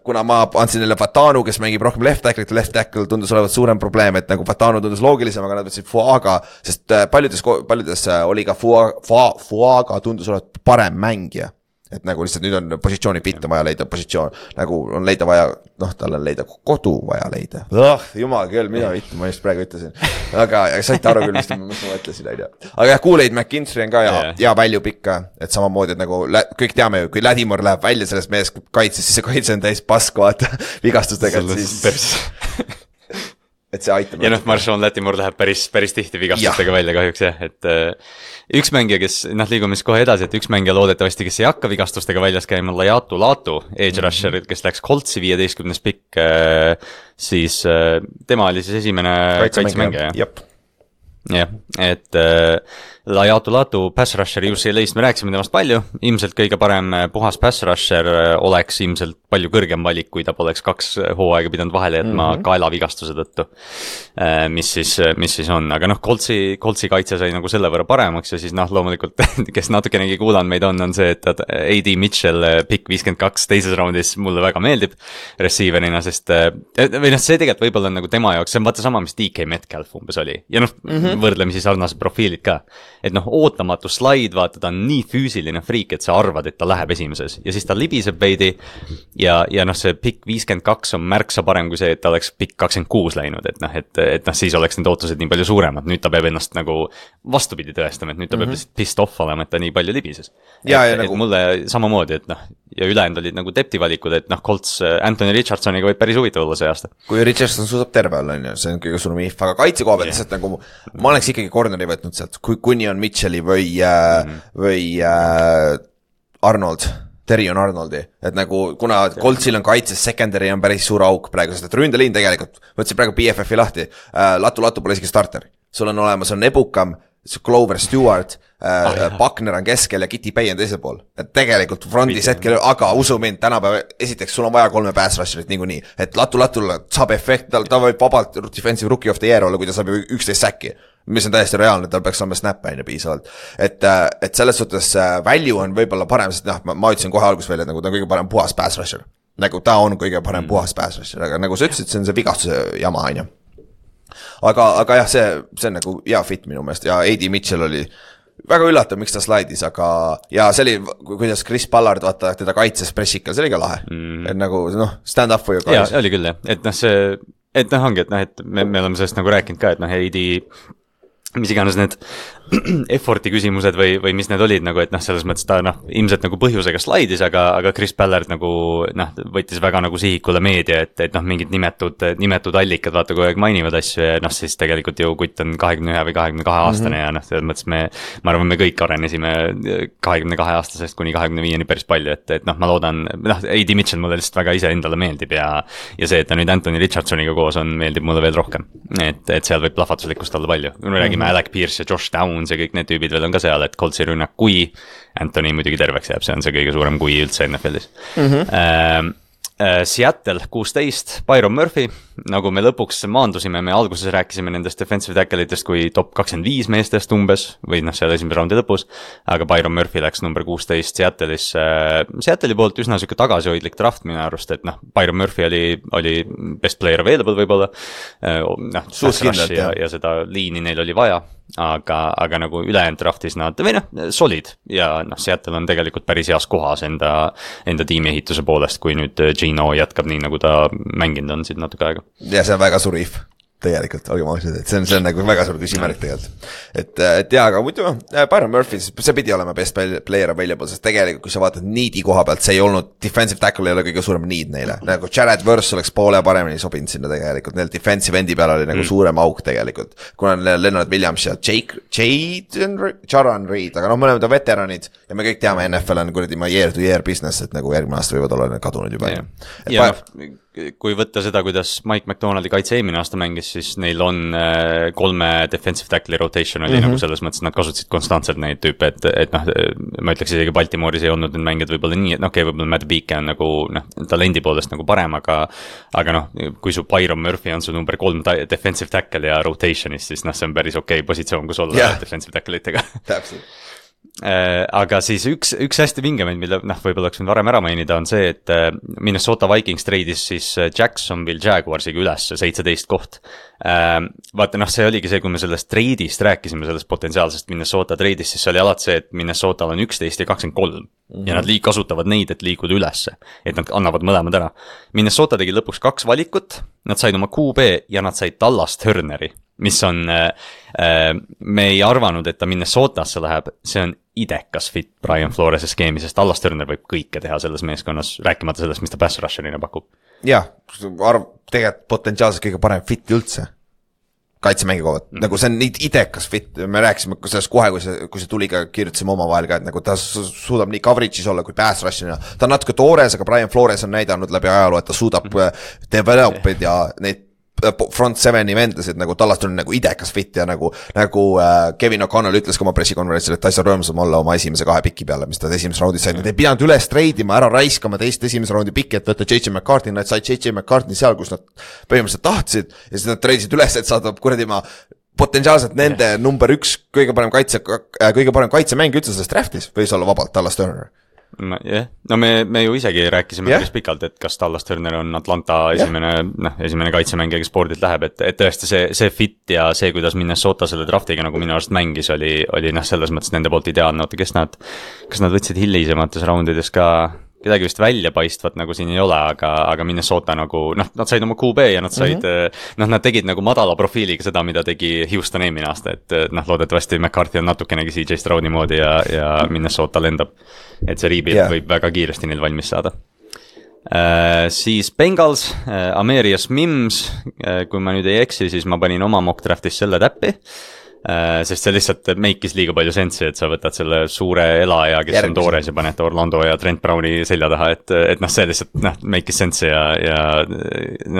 [SPEAKER 3] kuna ma andsin neile Fatanu, kes mängib rohkem left tackle tundus olevat suurem probleem, et nagu Fatanu tundus loogilisem, aga nad võtsid Fuaga, sest paljudes oli ka Fuaga tundus olevat parem mängija. Et nagu lihtsalt nüüd on positsiooni fit on vaja leida positsioon, nagu on leida vaja, tal on leida kodu vaja leida. Jumal küll, mida vittu, ma just praegu ütlesin. Aga saite aru küll, mis ma mõtlesin, on ju. Aga jah, Kool-Aid McKinstry on ka ja väljub ikka, et samamoodi, et nagu kõik teame ju, kui Ladimore läheb välja sellest meest kaitses, siis see kaitse on täis pask, vaata, vigastustega, et siis... et see aitab.
[SPEAKER 2] Ja Marshawn Lattimore läheb päris tihti vigastustega välja kahjuks jah, et üks mängija, kes liigume siis kohe edasi, et üks mängija loodetavasti, kes ei hakka vigastustega väljas käima, Laiatu Latu, edge rusher, kes läks Coltsi 15. pikk, siis tema oli siis esimene kaitsemängija. Jah, et Laiatu Latu pass rusher UCLA-st me rääkisime temast palju, ilmselt kõige parem puhas pass rusher oleks ilmselt palju kõrgem valik, kui ta poleks 2 hooaega pidanud vahele jätma kaelavigastuse tõttu, mis siis on, aga Coltsi kaitse sai nagu selle võrra paremaks ja siis loomulikult, kes natukenegi kuulanud meid on see, et A.D. Mitchell pick 52 teises raundis mulle väga meeldib receiverina, sest või see tegelikult võib-olla on nagu tema jaoks, see on vaata sama, mis DK Metcalf umbes oli ja võrdlemisi sarnased profiilid ka. Et ootamatu slaid, vaata, ta on nii füüsiline friik, et sa arvad, et ta läheb esimeses ja siis ta libiseb veidi ja see pick 52 on märksa parem kui see, et ta oleks pick 26 läinud, et siis oleks need ootused nii palju suuremad, nüüd ta peab ennast nagu vastupidi tõestama, et nüüd ta peab lihtsalt pissed off olema, et ta nii palju libises. Et mulle samamoodi, et ja ülejäänud olid nagu depti valikud, et Colts Anthony Richardsoniga võib päris huvitav olla see aasta.
[SPEAKER 3] Kui Richardson suudab terve olla, see on kõige suurem if, aga kaitse koha pealt lihtsalt nagu ma oleks ikkagi corneri võtnud sealt, kuni on Mitchelli või Arnold, Terrion Arnoldi, et nagu kuna Coltsil on kaitses, secondary on päris suur auk praegu, sest et ründeliin tegelikult, võtsin praegu BFF-i lahti, Latu pole isegi starter, sul on olemas, on Ebukam, Clover Stewart, Buckner on keskel ja Kitty Pay on teisel pool. Et tegelikult frontis hetkel, aga usu mind, tänapäeva esiteks sul on vaja 3 pass rusherit niikuinii, et Latulle saab efekt, ta võib vabalt defensive rookie of the year olla, kui ta saab 11 säkki, mis on täiesti reaalne, tal peaks saama snap'e piisavalt. Et selles suhtes value on võib-olla parem, sest ma ütlesin kohe alguses välja, et nagu ta on kõige parem puhas pass rusher. Nagu ta on kõige parem puhas pass rusher, aga nagu sa ütlesid, see on see vigastuse jama, on ju. Aga jah, see on nagu hea fit minu meelest ja A.D. Mitchell oli väga üllatav, miks ta slaidis, aga ja see oli, kuidas Chris Ballard vaata teda kaitses pressikal, see oli ka lahe. Et nagu stand up for you guys.
[SPEAKER 2] Ja, oli küll jah, et ongi, et me oleme sellest nagu rääkinud ka, et A.D. mis iganes need effort'i küsimused või mis need olid nagu, et selles mõttes ta ilmselt nagu põhjusega slaidis, aga Chris Ballard nagu võttis väga nagu sihikule meedia, et mingid nimetud allikad vaata kogu aeg mainivad asju ja siis tegelikult ju kutt on 21 või 22 aastane ja selles mõttes ma arvan, me kõik arenesime 22 aastasest kuni 25-ni päris palju, et ma loodan, A.D. Mitchell mulle lihtsalt väga ise endale meeldib ja see, et ta nüüd Anthony Richardsoniga koos on, meeldib mulle veel rohkem, et seal võib plahvatuslikkust olla palju, kui me räägime Alec Pierce ja Josh Downs ja kõik need tüübid veel on ka seal, et Coltsi rünnak, kui Anthony muidugi terveks jääb, see on see kõige suurem kui üldse NFL-is. Seattle 16, Byron Murphy, nagu me lõpuks maandusime, me alguses rääkisime nendest defensive tackle'itest kui top 25 meestest umbes, või seal esimese raundi lõpus, aga Byron Murphy läks number 16 Seattle'is, Seattle'i poolt üsna selline tagasihoidlik draft minu arust, et Byron Murphy oli best player available võib-olla, ja seda liini neil oli vaja, aga nagu ülejäänud draftis nad, või solid ja Seattle on tegelikult päris heas kohas enda tiimi ehituse poolest, kui nüüd Gino jätkab nii, nagu ta mänginud on siin natuke aega.
[SPEAKER 3] Ja see on väga suur if. Tegelikult, olgem ausad, et see on nagu väga suur küsimärk tegelikult. Et jaa, aga muidu, Byron Murphy, see pidi olema best player available, sest tegelikult, kui sa vaatad needi koha pealt, see ei olnud, defensive tackle ei ole kõige suurem need neile. Nagu Jared Verse oleks poole paremini sobinud sinna tegelikult, neil defensive endi peal oli nagu suurem auk tegelikult. Kuna Leonard Williams ja Jaron Reed, aga me oleme ta veteranid ja me kõik teame, NFL on kuradi year to year business, et nagu järgmine aasta võivad olla kadunud juba.
[SPEAKER 2] Ja kui võtta seda, kuidas Mike McDonaldi kaitse eelmine aasta mängis, siis neil on 3 defensive tackle'i rotation oli nagu selles mõttes, nad kasutasid konstantselt neid tüüpe, et noh, ma ütleks isegi Baltimooris ei olnud need mängijad võib-olla nii, et okei, võib-olla Matt Beake on nagu noh, talendi poolest nagu parem, aga noh, kui su Byron Murphy on su number 3 defensive tackle ja rotationis, siis noh, see on päris okei positsioon, kus olla defensive tackle itega.
[SPEAKER 3] Täpselt.
[SPEAKER 2] Aga siis üks hästi vingemaid, mille noh, võib-olla oleks võinud varem ära mainida, on see, et Minnesota Vikings treidis siis Jacksonville Jaguarsiga üles 17 koht. Vaata noh, see oligi see, kui me sellest treidist rääkisime, sellest potentsiaalsest Minnesota treidist, siis see oli alati see, et Minnesotal on 11 ja 23 ja nad kasutavad neid, et liikuda ülesse, et nad annavad mõlemad ära. Minnesota tegi lõpuks 2 valikut, nad said oma QB ja nad said Dallas Turneri, mis on, me ei arvanud, et ta Minnesotasse läheb, see on idekas fit Brian Flores'e skeemi, sest Dallas Turner võib kõike teha selles meeskonnas, rääkimata sellest, mis ta pass rusher'ina pakub.
[SPEAKER 3] Jah, tegelikult potentsiaalselt kõige parem fit üldse kaitsemängi kohalt, nagu see on idekas fit, me rääkisime sellest kohe, kui see tuli ka, kirjutasime oma vahel ka, et nagu ta suudab nii coverage'is olla kui pass rusher'ina, ta on natuke toores, aga Brian Flores on näidanud läbi ajaloo, et ta suudab develop'id ja neid front 7 vendasid, nagu Dallas tuli nagu idekas fit ja nagu Kevin O'Connell ütles ka oma pressikonverentsil, et ta ei saa rõõmsam olla oma esimese 2 piki peale, mis ta esimeses raundis said, nad ei pidanud üles treidima, ära raiskama teist esimese raundi piki, et võtta J.J. McCartney, nad said J.J. McCartney seal, kus nad põhimõtteliselt tahtsid ja siis nad treidisid üles, et saada kuradi ma potentsiaalselt nende number 1 kõige parem kaitsemäng üldse selles draftis võis olla vabalt Dallas Turner.
[SPEAKER 2] No me ju isegi rääkisime päris pikalt, et kas Dallas Turner on Atlanta esimene kaitsemängija, kes spordilt läheb, et tõesti see fit ja see, kuidas Minnesota selle draftiga nagu minu arust mängis, oli selles mõttes nende poolt ideaalne, kas nad võtsid hilisemates raundides ka kedagi vist välja paistvat nagu siin ei ole, aga Minnesota nagu, nad said oma QB ja nad said, nad tegid nagu madala profiiliga seda, mida tegi Houston eelmine aasta, et loodetavasti McCarthy on natukenegi CJ Stroudi moodi ja Minnesota lendab, et see rebuild võib väga kiiresti neil valmis saada. Siis Bengals, Amarius Mims, kui ma nüüd ei eksi, siis ma panin oma mock draftis selle täppi, sest see lihtsalt make'is liiga palju sensi, et sa võtad selle suure elaja, kes on toores ja paned Orlando ja Trent Browni selja taha, et see lihtsalt make'is sensi ja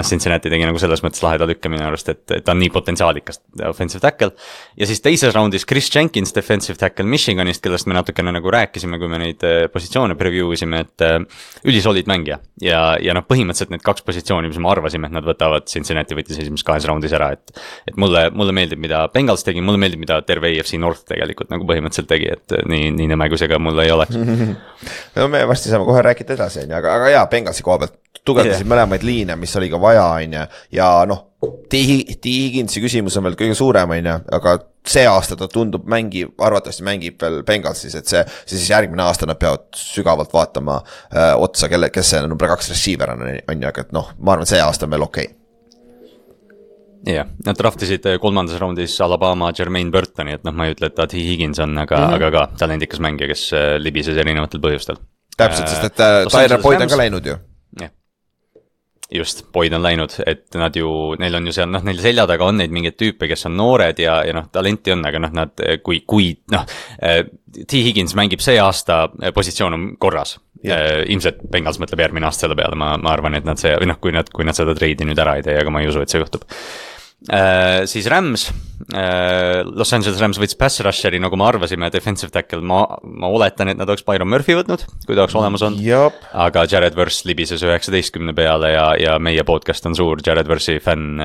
[SPEAKER 2] Cincinnati tegi nagu selles mõttes laheda lükke minu arust, et ta on nii potentsiaalikas offensive tackle. Ja siis teises raundis Chris Jenkins, defensive tackle Michiganist, kellest me natukene nagu rääkisime, kui me neid positsioone preview isime, et ülisolid mängija ja põhimõtteliselt need 2 positsiooni, mis me arvasime, et nad võtavad, Cincinnati võttis esimeses 2 raundis ära, et mulle meeldib, mida Bengals tegi, mulle meeldib, mida terve AFC North tegelikult nagu põhimõtteliselt tegi, et nii nõme kui see ka mulle ei oleks.
[SPEAKER 3] No me vasti saame kohe rääkida edasi, aga jaa, Bengalsi koha pealt tugevdasid mõlemaid liine, mis oli ka vaja, ja T. Higginsi küsimus on veel kõige suurem, aga see aasta ta tundub arvatavasti mängib veel Bengalsis, et see siis järgmine aasta nad peavad sügavalt vaatama otsa, kes see number 2 receiver on, aga ma arvan, see aasta on veel okei.
[SPEAKER 2] Jah, nad draftisid 3. raundis Alabama Jermaine Burtoni, et ma ei ütle, et ta T. Higgins on, aga ka talendikas mängija, kes libises erinevatel põhjustel.
[SPEAKER 3] Täpselt, sest et Tyler Boyd on ka läinud ju.
[SPEAKER 2] Jah, just, Boyd on läinud, et neil on ju seal, neil selja taga on neid mingeid tüüpe, kes on noored ja talenti on, aga nad, kui T. Higgins mängib see aasta, positsioon on korras. Ilmselt Bengals mõtleb järgmine aasta selle peale, ma arvan, et kui nad seda treidi nüüd ära ei tee, aga ma ei usu, et see juhtub. Siis Rams, Los Angeles Rams võttis pass rusheri, nagu me arvasime, defensive tackle, ma oletan, et nad oleks Byron Murphy võtnud, kui ta oleks olemas on, aga Jared Verse libises 19 peale ja meie podcast on suur Jared Verse'i fänn,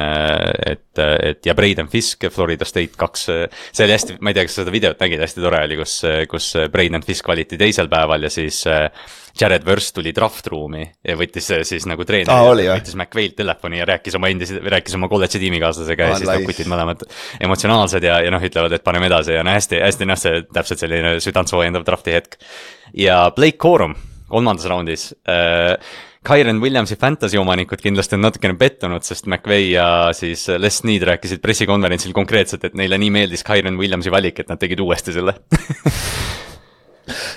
[SPEAKER 2] ja Braden Fisk, Florida State 2, see oli hästi, ma ei tea, kas seda videot nägid, hästi tore oli, kus Braden Fisk valiti teisel päeval ja siis Jared Verse tuli draft-ruumi ja võttis siis nagu treeneri, võttis McVay'lt telefoni ja rääkis oma kolledži tiimikaaslasega ja siis kutid mõlemad emotsionaalsed ja ütlevad, et paneme edasi ja hästi see täpselt selline südantsoojendav drafti hetk. Ja Blake Corum 3. raundis, Kyren Williamsi fantasy omanikud kindlasti on natukene pettunud, sest McVay ja siis Les Snead rääkisid pressikonverentsil konkreetselt, et neile nii meeldis Kyren Williamsi valik, et nad tegid uuesti selle.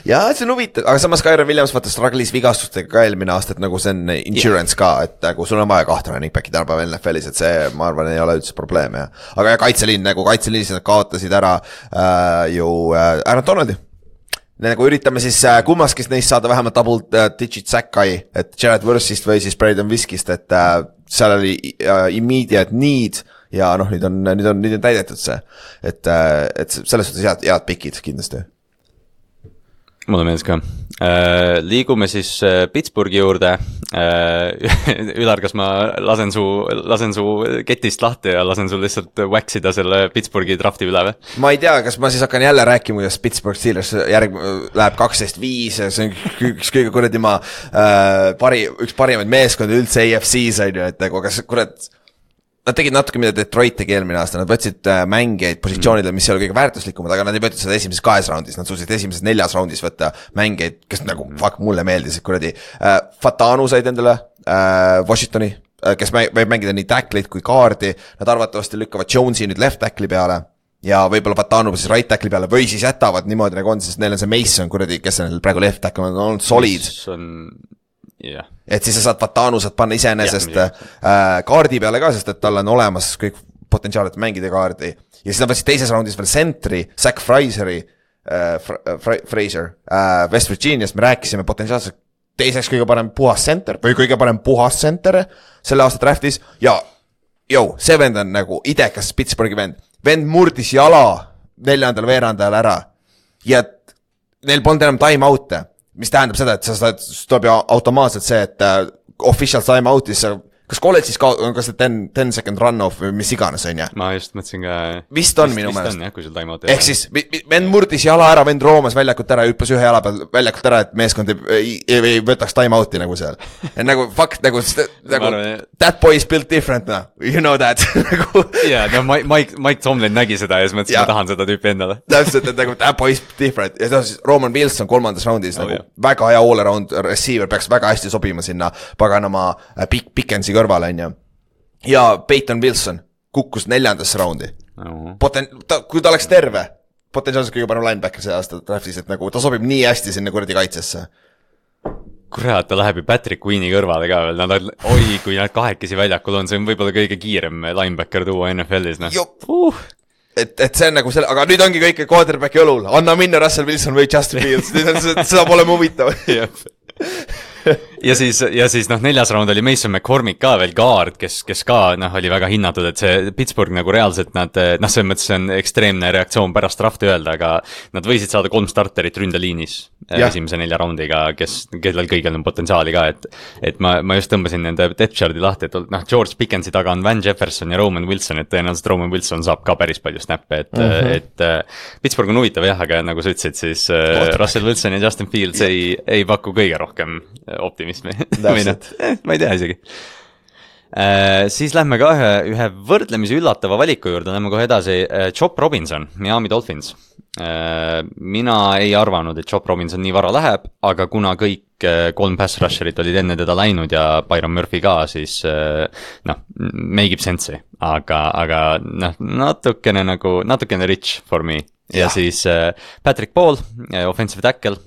[SPEAKER 3] Ja see on huvitav, aga samas Kyren Williams vaata struggle'is vigastustega ka eelmine aasta, et nagu see on insurance ka, et nagu sul on vaja 2 running back'i tänapäeval NFL-is, et see, ma arvan, ei ole üldse probleem, ja. Aga kaitseliin, nagu kaitseliinis nad kaotasid ära Aaron Donaldi. Nagu üritame siis kummaskist neist saada vähemalt double digit sack'i, et Jared Verse'ist või siis Braden Fiskist, et seal oli immediate need ja noh, nüüd on täidetud see, et selles suhtes head pikid kindlasti.
[SPEAKER 2] Mulle meeldis ka. Liigume siis Pittsburghi juurde. Ülar, kas ma lasen su ketist lahti ja lasen sul lihtsalt waxida selle Pittsburghi drafti üle või?
[SPEAKER 3] Ma ei tea, kas ma siis hakkan jälle rääkima, kuidas Pittsburgh Steelers läheb 12-5, see on üks kõige kuradi üks parimaid meeskondi üldse AFC-s on ju, et nagu kas kurat nad tegid natuke, mida Detroit tegi eelmine aasta, nad võtsid mängijaid positsioonidele, mis ei ole kõige väärtuslikumad, aga nad ei võtnud seda esimeses 2 raundis, nad suutsid esimeses 4 raundis võtta mängijaid, kes nagu mulle meeldisid kuradi. Fatanu said endale Washingtoni, kes võib mängida nii tackleid kui kaardi, nad arvatavasti lükkavad Jonesi nüüd left tackli peale ja võib-olla Fatanu siis right tackli peale või siis jätavad niimoodi nagu on, sest neil on see Mason kuradi, kes on praegu left tackli, on olnud solid.
[SPEAKER 2] Yeah.
[SPEAKER 3] Et siis sa saad Fatanu saad panna iseenesest kaardi peale ka, sest et tal on olemas kõik potentsiaalid mängida kaardi. Ja siis nad võtsid teises raundis veel sentri, Zach Fraser West Virginiast, me rääkisime potentsiaalselt teiseks kõige parem puhas center või kõige parem puhas center selle aasta draftis ja see vend on nagu idekas Pittsburghi vend murdis jala 4. veerandajal ära ja neil polnud enam time out'e. Mis tähendab seda, et sa tuleb ju automaatselt see, et official time out'is kas kolledžis on kas 10 second run-off või mis iganes on, jah?
[SPEAKER 2] Ma just mõtlesin ka...
[SPEAKER 3] Vist on minu meelest.
[SPEAKER 2] Jah, kui sul time-out
[SPEAKER 3] ehk siis, vend murdis jala ära, vend roomas väljakut ära, hüppas ühe jala peal väljakut ära, et meeskond ei võtaks time-out'i nagu seal. Nagu, fuck, nagu that boy is built different, no. You know that.
[SPEAKER 2] Jaa, no Mike Tomlin nägi seda ja siis mõtlesin, ma tahan seda tüüpi endale.
[SPEAKER 3] Täpselt, et nagu that boy is different. Ja siis Roman Wilson 3. raundis, nagu väga hea all-around receiver, peaks väga hästi sobima sinna paganama Pickensi kõrvale, on ju. Ja Peyton Wilson kukkus 4. raundi. Kui ta oleks terve, potentsiaalselt kõige parem linebacker see aasta draftis, et nagu ta sobib nii hästi sinna kuradi kaitsesse.
[SPEAKER 2] Kurat, ta läheb ju Patrick Queen'i kõrvale ka veel. Kui nad kahekesi väljakul on, see on võib-olla kõige kiirem linebacker tuua NFL-is.
[SPEAKER 3] Et see on nagu selle, aga nüüd ongi kõik quarterbacki õlul. Anna minna Russell Wilson või Justin Fields. Nüüd seda pole huvitav.
[SPEAKER 2] ja siis 4. raund oli Mason McCormick ka veel guard, kes ka oli väga hinnatud, et see Pittsburgh nagu reaalselt nad, selles mõttes see on ekstreemne reaktsioon pärast drafti öelda, aga nad võisid saada 3 starterit ründeliinis esimese 4 raundiga, kellel kõigil on potentsiaali ka, et ma just tõmbasin nende depth chart'i lahti, et George Pickensi taga on Van Jefferson ja Roman Wilson, et tõenäoliselt Roman Wilson saab ka päris palju snappe, et Pittsburgh on huvitav jah, aga nagu sa ütlesid, siis Russell Wilson ja Justin Fields ei paku kõige rohkem optimismi. Ma ei tea isegi. Siis lähme ka ühe võrdlemisi üllatava valiku juurde, lähme kohe edasi. Chop Robinson, Miami Dolphins. Mina ei arvanud, et Chop Robinson nii vara läheb, aga kuna kõik 3 pass rusherit olid enne teda läinud ja Byron Murphy ka, siis make ib sense'i, aga natukene rich for me. Ja siis Patrick Paul, offensive tackle,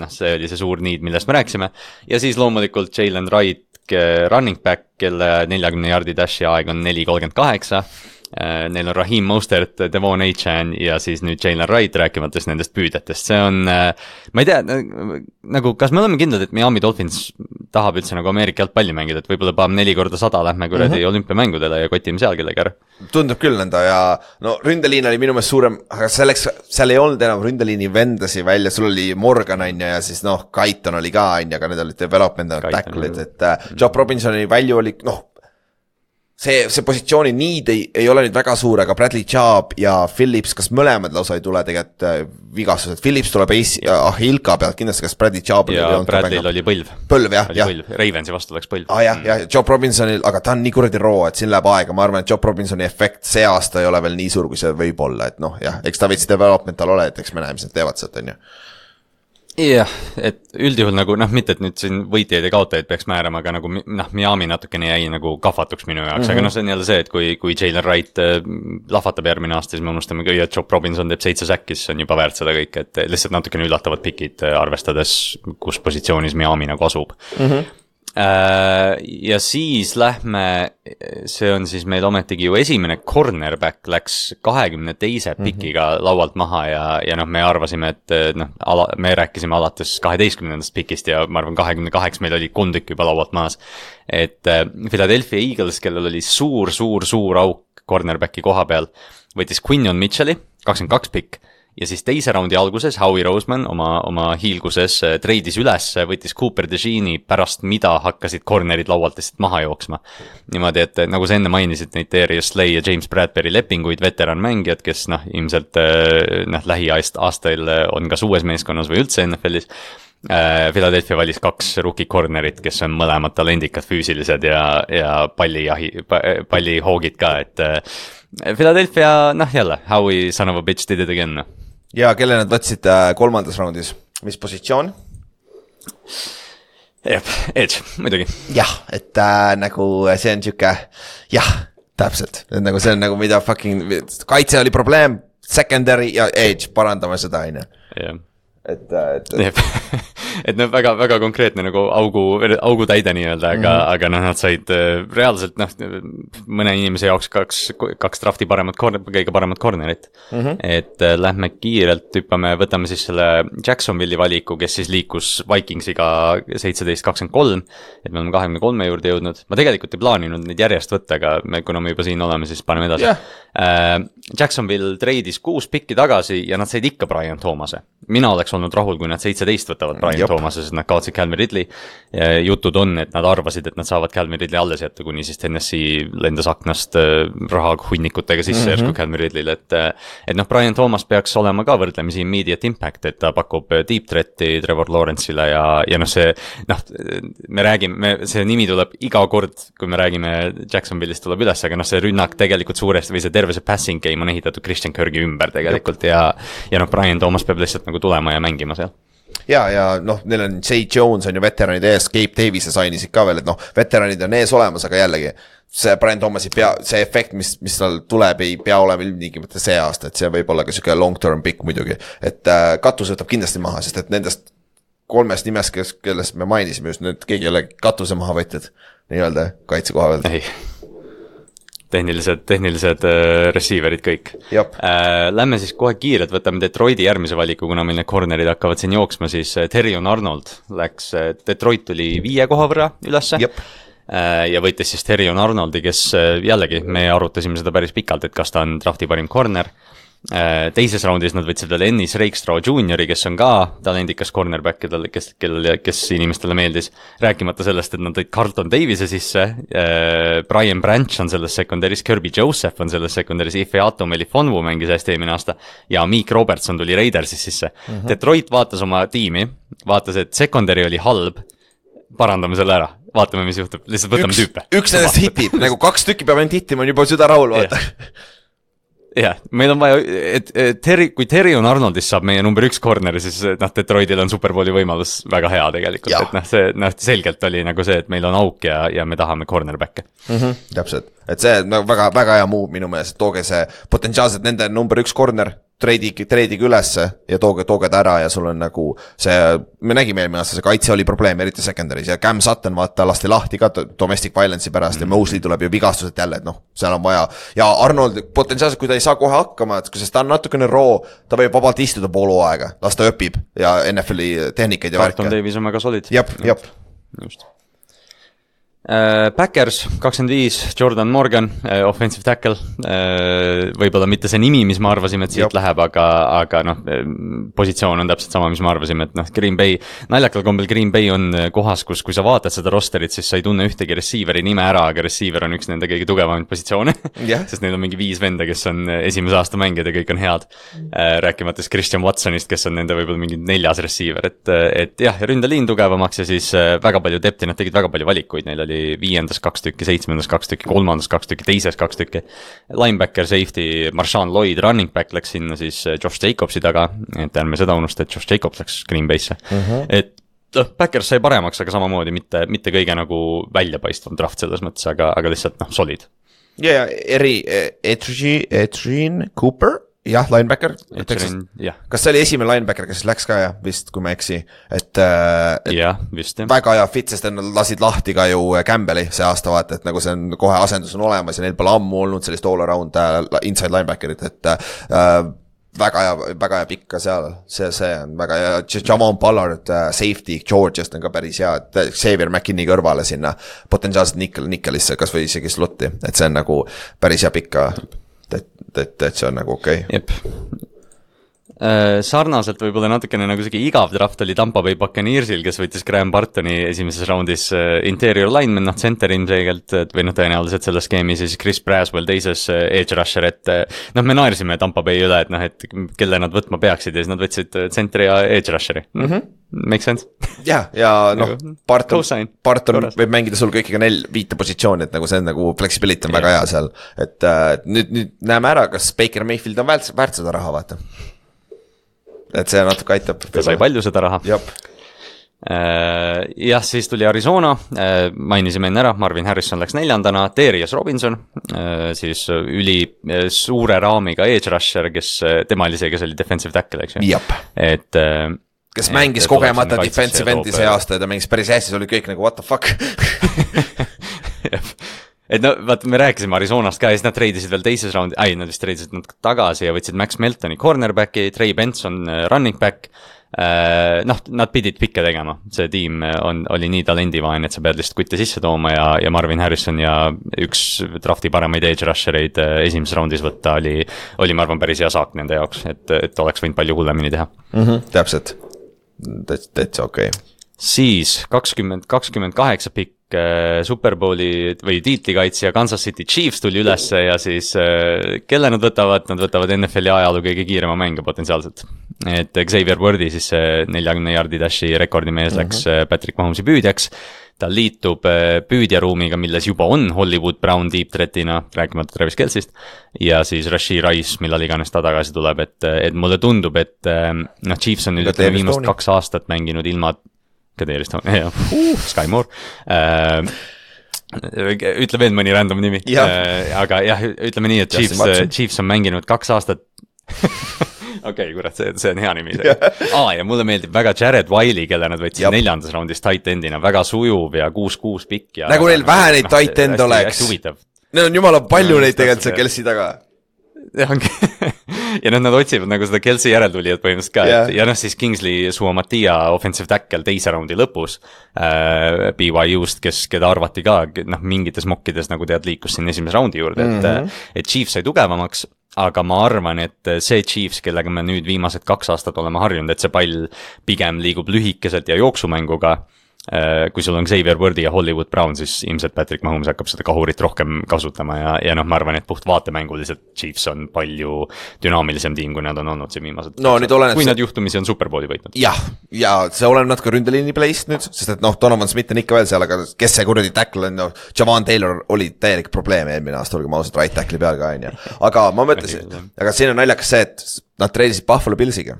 [SPEAKER 2] see oli see suur need, millest me rääkisime. Ja siis loomulikult Jalen Wright, running back, kelle 40 jardi dashi aeg on 4.38. Neil on Raheem Mostert, Devon Achan ja siis nüüd Jalen Wright rääkimates nendest püüdetest. See on, ma ei tea, nagu kas me oleme kindlad, et Miami Dolphins tahab üldse nagu Ameerika jalgpalli mängida, et võib-olla paam 4x100 lähme kuradi olümpiamängudele ja kotime seal kellega ära.
[SPEAKER 3] Tundub küll nõnda ja no ründeliin oli minu meelest suurem, aga seal ei olnud enam ründeliini vendasi välja, sul oli Morgan ja siis Kaiton oli ka, aga need olid development tackle'id, et Chop Robinsoni välju oli, see positsiooni need ei ole nüüd väga suur, aga Bradley Chubb ja Phillips, kas mõlemad lausa ei tule tegelikult vigastused. Phillips tuleb Hilka pealt kindlasti, kas Bradley Chubb
[SPEAKER 2] ja Bradley'l oli põlv.
[SPEAKER 3] Põlv, jah.
[SPEAKER 2] Ravensi vastu läks põlv.
[SPEAKER 3] Jah, Chop Robinsonil, aga ta on nii kuradi roo, et siin läheb aega. Ma arvan, et Chop Robinsoni efekt see aasta ei ole veel nii suur, kui see võib olla, et eks ta veits developmental ole, et eks me näeme, mis nad teevad sealt, on ju.
[SPEAKER 2] Jah, et üldjuhul nagu, mitte et nüüd siin võitjaid ja kaotajaid peaks määrama, aga nagu Miami natukene jäi nagu kahvatuks minu jaoks, aga see on jälle see, et kui Jalen Wright lahvatab järgmine aasta, siis me unustame ka, et Chop Robinson teeb 7 säkki, siis on juba väärt seda kõik, et lihtsalt natukene üllatavad pikid arvestades, kus positsioonis Miami nagu asub. Ja siis lähme, see on siis meil ometigi ju esimene cornerback läks 22. pikiga laualt maha ja me arvasime, et me rääkisime alates 12. pikist ja ma arvan 28 meil oli 3 tükki juba laualt maas, et Philadelphia Eagles, kellel oli suur auk cornerbacki koha peal, võttis Quinion Mitchell'i, 22 pikk, ja siis teise raundi alguses Howie Roseman oma hiilguses treidis üles, võttis Cooper DeJean'i pärast mida hakkasid cornerid laualt lihtsalt maha jooksma. Niimoodi, et nagu sa enne mainisid neid Darius Slay ja James Bradbury lepinguid, veteranmängijad, kes ilmselt lähiaastail on kas uues meeskonnas või üldse NFLis. Philadelphia valis 2 rookie cornerit, kes on mõlemad talendikad füüsilised ja pallihoogid ka, et Philadelphia, jälle, Howie son of a bitch did it again.
[SPEAKER 3] Ja kelle nad võtsid 3. raundis? Mis positsioon?
[SPEAKER 2] Edge, muidugi.
[SPEAKER 3] Jah, et nagu see on siuke, täpselt. Nagu see on nagu mida fucking, kaitse oli probleem, secondary ja edge, parandame seda, aine.
[SPEAKER 2] Jah. Et väga, väga konkreetne nagu augu täide nii-öelda, aga nad said reaalselt mõne inimese jaoks kaks drafti kõige paremat cornerit. Et lähme kiirelt, võtame siis selle Jacksonville'i valiku, kes siis liikus Vikingsiga 17-23, et me oleme 23 juurde jõudnud. Ma tegelikult ei plaaninud neid järjest võtta, aga kuna me juba siin oleme, siis paneme edasi. Jacksonville treidis 6 pikki tagasi ja nad said ikka Brian Thomase. Mina oleks olnud rahul, kui nad 17 võtavad Brian Thomase, sest nad kaotsid Calvin Ridley. Jutud on, et nad arvasid, et nad saavad Calvin Ridley alles jätta, kuni siis Tennessee lendas aknast raha hunnikutega sisse järsku Calvin Ridley'le, et Brian Thomas peaks olema ka võrdlemisi immediate impact, et ta pakub deep threat'i Trevor Lawrence'ile ja see, me räägime, see nimi tuleb iga kord, kui me räägime Jacksonville'ist tuleb üles, aga see rünnak tegelikult suuresti või see terve see passing game on ehitatud Christian Kirki ümber tegelikult ja Brian Thomas peab lihtsalt nagu tulema ja mängima seal.
[SPEAKER 3] Ja neil on Zay Jones on ju veteranid ees, Gabe Davis ja sainisid ka veel, et veteranid on ees olemas, aga jällegi see Brian Thomas see efekt, mis tal tuleb, ei pea olema ilmtingimata see aasta, et see võib olla ka siuke long term pick muidugi, et katus võtab kindlasti maha, sest et nendest 3 nimest, kellest me mainisime just, need keegi ei ole katuse maha võtjad nii-öelda kaitse koha pealt.
[SPEAKER 2] Ei. Tehnilised receiverid kõik. Lähme siis kohe kiirelt, võtame Detroiti järgmise valiku, kuna meil need cornerid hakkavad siin jooksma, siis Terrion Arnold läks, Detroit tuli 5 koha võrra ülesse ja võitis siis Terrion Arnoldi, kes jällegi, me arutasime seda päris pikalt, et kas ta on drafti parim corner. Teises raundis nad võtsid veel Ennis Rakestraw Juniori, kes on ka talendikas cornerback, kes inimestele meeldis, rääkimata sellest, et nad tõid Carlton Davise sisse, Brian Branch on selles sekundaris, Kirby Joseph on selles sekundaris, Ifeatu Melifonwu mängis hästi eelmine aasta ja Meek Robertson tuli Raidersis sisse. Detroit vaatas oma tiimi, vaatas, et secondary oli halb, parandame selle ära, vaatame, mis juhtub, lihtsalt võtame tüüpe.
[SPEAKER 3] Üks nendest hitib, nagu 2 tükki peab ainult hitima, on juba süda rahul, vaata.
[SPEAKER 2] Jah, meil on vaja, kui Terrion Arnoldist saab meie number 1 corner, siis Detroitil on Superbowli võimalus väga hea tegelikult, et see selgelt oli nagu see, et meil on auk ja me tahame cornerbacke.
[SPEAKER 3] Täpselt, et see on väga, väga hea muu minu meelest, tooge see potentsiaalselt nende number 1 corner, treidiga ülesse ja tooge ta ära ja sul on nagu see, me nägime eelmine aasta, see kaitse oli probleem, eriti secondary's ja Cam Sutton lasti lahti ka domestic violence'i pärast ja Mosley tuleb ju vigastused jälle, et seal on vaja ja Arnold potentsiaalselt, kui ta ei saa kohe hakkama, et sest ta on natukene roo, ta võib vabalt istuda poolu aega, las ta õpib ja NFL-i tehnikaid ja värke.
[SPEAKER 2] Carlton Davis on väga solid.
[SPEAKER 3] Jep.
[SPEAKER 2] Just. Packers 25, Jordan Morgan, offensive tackle, võib-olla mitte see nimi, mis me arvasime, et siit läheb, aga positsioon on täpselt sama, mis me arvasime, et Green Bay, naljakal kombel Green Bay on kohas, kui sa vaatad seda rosterit, siis sa ei tunne ühtegi receiveri nime ära, aga receiver on üks nende kõige tugevamaid positsioone, sest neil on mingi 5 venda, kes on esimese aasta mängijad ja kõik on head, rääkimates Christian Watsonist, kes on nende võib-olla mingi 4. receiver, et jah, ründeliin tugevamaks ja siis väga palju depti, nad tegid väga palju valikuid, neil oli 5. 2 tükki, 7. 2 tükki, 3. 2 tükki, 2. 2 tükki. Linebacker, safety, Marshawn Lloyd, running back läks sinna siis Josh Jacobsi taga, et ärme seda unusta, et Josh Jacobs läks Green Bay'sse. Et Packers sai paremaks, aga samamoodi mitte kõige nagu väljapaistvam draft selles mõttes, aga lihtsalt solid.
[SPEAKER 3] Ja Etienne Cooper, jah, linebacker. Kas see oli esimene linebacker, kes läks ka vist, kui ma eksi, et
[SPEAKER 2] vist,
[SPEAKER 3] väga hea fit, sest nad lasid lahti ka ju Campbelli see aasta vaata, et nagu see on kohe asendus on olemas ja neil pole ammu olnud sellist all around inside linebackerit, et väga hea pikk ka seal, see on väga hea, Javon Pollard safety Georgiast on ka päris hea, et Xavier McKinney kõrvale sinna potentsiaalselt Nickelisse, kas või isegi slotti, et see on nagu päris hea pikka, et see on nagu okei.
[SPEAKER 2] Jep. Sarnaselt võib-olla natukene nagu isegi igav draft oli Tampa Bay Buccaneersil, kes võttis Graham Bartoni esimeses raundis interior lineman, center ilmselgelt, või tõenäoliselt selles skeemis ja siis Chris Braswell teises edge rusher, et me naersime Tampa Bay üle, et kelle nad võtma peaksid ja siis nad võtsid centeri ja edge rusheri. Make sense?
[SPEAKER 3] Ja Barton võib mängida sul kõikiga 5 positsiooni, et nagu see on nagu flexibility on väga hea seal, et nüüd näeme ära, kas Baker Mayfield on väärt seda raha, vaata. Et see natuke aitab.
[SPEAKER 2] Ta sai palju seda raha.
[SPEAKER 3] Jop.
[SPEAKER 2] Jah, siis tuli Arizona, mainisime enne ära, Marvin Harrison läks 4. Darius Robinson, siis üli suure raamiga edge rusher, kes tema oli see, kes oli defensive tackle, eks ju?
[SPEAKER 3] Jop.
[SPEAKER 2] Et
[SPEAKER 3] kes mängis kogemata defensive endi see aasta ja ta mängis päris hästi, oli kõik nagu what the fuck.
[SPEAKER 2] Et vaata, me rääkisime Arizonast ka ja siis nad treidisid veel teises raundi, nad vist treidisid nad tagasi ja võtsid Max Meltoni cornerbacki, Trey Benson running back, nad pidid pikke tegema, see tiim oli nii talendivaene, et sa pead lihtsalt kutte sisse tooma ja Marvin Harrison ja üks drafti paremaid edge rushereid esimeses raundis võtta oli ma arvan päris hea saak nende jaoks, et oleks võinud palju hullemini teha.
[SPEAKER 3] Täpselt, täitsa okei.
[SPEAKER 2] Siis 28 pikk Super Bowli või tiitlikaitsja Kansas City Chiefs tuli ülesse ja siis kelle nad võtavad NFL-i ajaloo kõige kiirema mänge potentsiaalselt. Et Xavier Worthy siis 40 jardi dashi rekordimees läks Patrick Mahomesi püüdjaks. Ta liitub püüdjaruumiga, milles juba on Hollywood Brown deep threatina, rääkimata Travis Kelce'ist, ja siis Rashee Rice, millal iganes ta tagasi tuleb, et mulle tundub, et Chiefs on nüüd viimast 2 aastat mänginud ilma Kadeerist, Sky Moore. Ütle veel mõni random nimi. Aga jah, ütleme nii, et Chiefs on mänginud 2 aastat. Okei, kurat, see on hea nimi. Ja mulle meeldib väga Jared Wiley, kelle nad võtsid 4. raundis tight endina, väga sujuv ja 6-6 pikk.
[SPEAKER 3] Nagu neil vähe neid tight end oleks. Neil on jumala palju neid tegelikult see Kelsey taga.
[SPEAKER 2] Ja nad otsivad nagu seda Kelsey järeltulijad põhimõtteliselt ka, ja siis Kingsley Suamatia offensive tackle 2. raundi lõpus BYU-st, keda arvati ka mingites mokkides nagu liikus siin 1. raundi juurde, et Chiefs sai tugevamaks, aga ma arvan, et see Chiefs, kellega me nüüd viimased 2 aastat oleme harjunud, et see pall pigem liigub lühikeselt ja jooksumänguga, kui sul on Xavier Worthy ja Hollywood Brown, siis ilmselt Patrick Mahomes hakkab seda kahurit rohkem kasutama ja ma arvan, et puht vaatemänguliselt Chiefs on palju dünaamilisem tiim, kui nad on olnud siin viimased. Kui nad juhtumisi on Super Bowli võitnud.
[SPEAKER 3] Ja see oleneb natuke ründeliini play'st nüüd, sest et Donovan Smith on ikka veel seal, aga kes see kuradi tackle on, Javon Taylor oli täielik probleem eelmine aasta, olgu ma ausalt right tackle'i peal ka on. Aga ma mõtlesin, aga siin on naljakas see, et nad treidisid Buffalo Billsiga.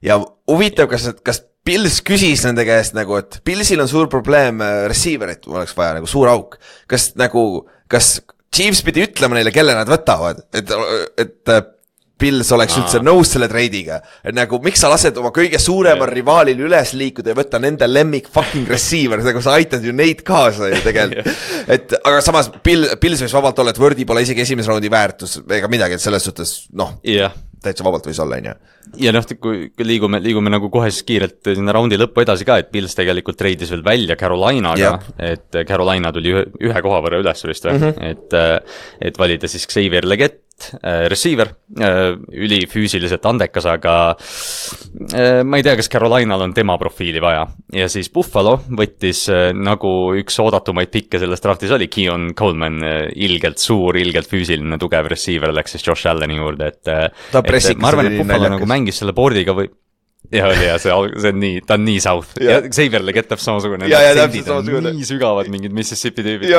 [SPEAKER 3] Ja huvitav, kas Bills küsis nende käest nagu, et Billsil on suur probleem receiverit, oleks vaja nagu suur auk. Kas Chiefs pidi ütlema neile, kelle nad võtavad, et Bills oleks üldse nõus selle treidiga, et nagu miks sa lased oma kõige suuremal rivaalil üles liikuda ja võtta nende lemmik fucking receiver, nagu sa aitad ju neid kaasa ju tegelikult. Aga samas Bills võis vabalt olla, et Worthy pole isegi esimese raundi väärtus ega midagi, et selles suhtes täitsa vabalt võis olla,
[SPEAKER 2] Ja kui liigume nagu kohe siis kiirelt sinna raundi lõppu edasi ka, et Bills tegelikult treidis veel välja Carolinaga, et Carolina tuli ühe koha võrra üles vist, et valida siis Xavier Legette, receiver, ülifüüsiliselt andekas, aga ma ei tea, kas Carolinal on tema profiili vaja. Ja siis Buffalo võttis nagu üks oodatumaid pikke selles draftis oli Keon Coleman, ilgelt suur, ilgelt füüsiline, tugev receiver, läks siis Josh Alleni juurde, et ma arvan, et Buffalo nagu mängis selle boardiga või see on nii, ta on nii south ja Xavier Legette samasugune, nii sügavad mingid Mississippi tüübid,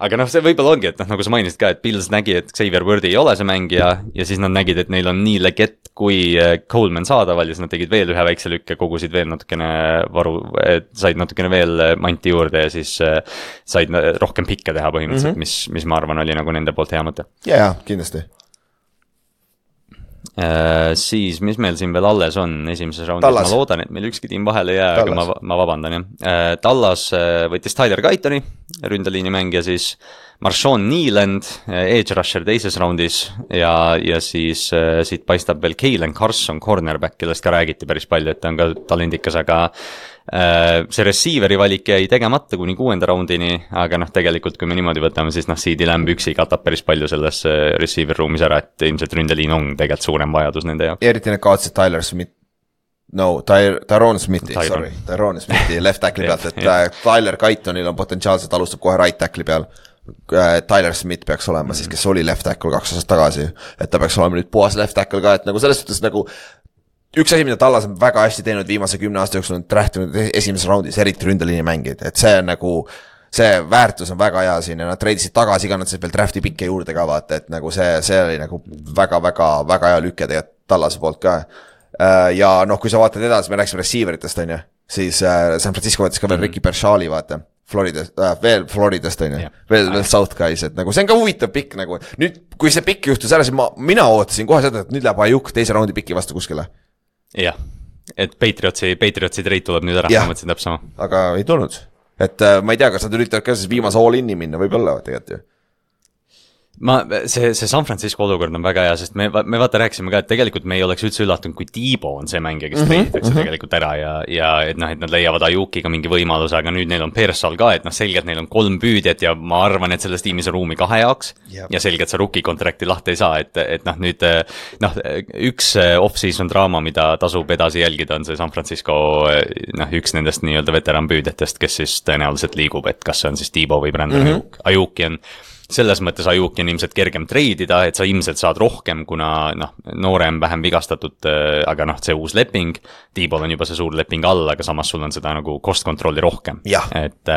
[SPEAKER 2] aga see võib-olla ongi, et nagu sa mainisid ka, et Bills nägi, et Xavier Worthy ei ole see mängija ja siis nad nägid, et neil on nii Legette kui Coleman saadaval ja siis nad tegid veel ühe väikse lükke, kogusid veel natukene said natukene veel manti juurde ja siis said rohkem pikke teha põhimõtteliselt, mis ma arvan oli nagu nende poolt hea mõte.
[SPEAKER 3] Ja, kindlasti.
[SPEAKER 2] Siis, mis meil siin veel alles on esimeses raundis, ma loodan, et meil ükski tiim vahele ei jää, aga ma vabandan. Dallas võttis Tyler Guytoni, ründeliini mängija siis, Marshawn Neeland, edge rusher teises raundis ja siis siit paistab veel Kalen Carson, cornerback, kellest ka räägiti päris palju, et ta on ka talendikas, aga see receiveri valik jäi tegemata kuni 6. raundini, aga tegelikult kui me niimoodi võtame, siis CeeDee Lamb üksi katab päris palju selles receiver ruumis ära, et ilmselt ründeliin on tegelikult suurem vajadus nende jaoks.
[SPEAKER 3] Eriti need kaotsid Tyron Smithi left tackli pealt, et Tyler Guytonil on potentsiaalselt, alustab kohe right tackli peal. Tyler Smith peaks olema siis, kes oli left tackle 2 aastat tagasi, et ta peaks olema nüüd puhas left tackle ka, et selles suhtes üks asi, mida Tallas on väga hästi teinud viimase 10 aasta jooksul, on draftinud esimeses raundis, eriti ründeliini mängid, et see on see väärtus on väga hea siin ja nad treidisid tagasi ka, nad said veel drafti pikke juurde ka vaata, et see oli väga hea lüke tegelikult Tallase poolt ka. Ja kui sa vaatad edasi, me rääksime receiveritest, on ju, siis San Francisco võttis ka veel Ricky Pershali, vaata, veel Floridast, on ju, veel South Guys, et see on ka huvitav pikk, nüüd, kui see pikk juhtus ära, siis mina ootasin kohe seda, et nüüd läheb Ajuk teise raundi pikki vastu kuskile.
[SPEAKER 2] Jah, et Patriotsi trade tuleb nüüd ära, ma mõtlesin täpselt sama.
[SPEAKER 3] Aga ei tulnud, et ma ei tea, kas nad üritavad ka siis viimase all-in'i minna, võib-olla tegelikult ju.
[SPEAKER 2] See San Francisco olukord on väga hea, sest me vaata rääkisime ka, et tegelikult me ei oleks üldse üllatunud, kui Debo on see mängija, kes treiditakse tegelikult ära ja et nad leiavad Ajukiga mingi võimaluse, aga nüüd neil on Pearsall ka, et selgelt neil on 3 püüdjat ja ma arvan, et selles tiimis on ruumi 2 jaoks ja selgelt see rookie kontrakti lahti ei saa, et nüüd üks off-season draama, mida tasub edasi jälgida, on see San Francisco üks nendest nii-öelda veteranpüüdjatest, kes siis tõenäoliselt liigub, et kas see on siis Debo või Brandon Ajuki on. Selles mõttes Ajuki on ilmselt kergem treidida, et sa ilmselt saad rohkem, kuna noorem, vähem vigastatud, aga see uus leping, Debol on juba see suur leping all, aga samas sul on seda cost control'i rohkem. Et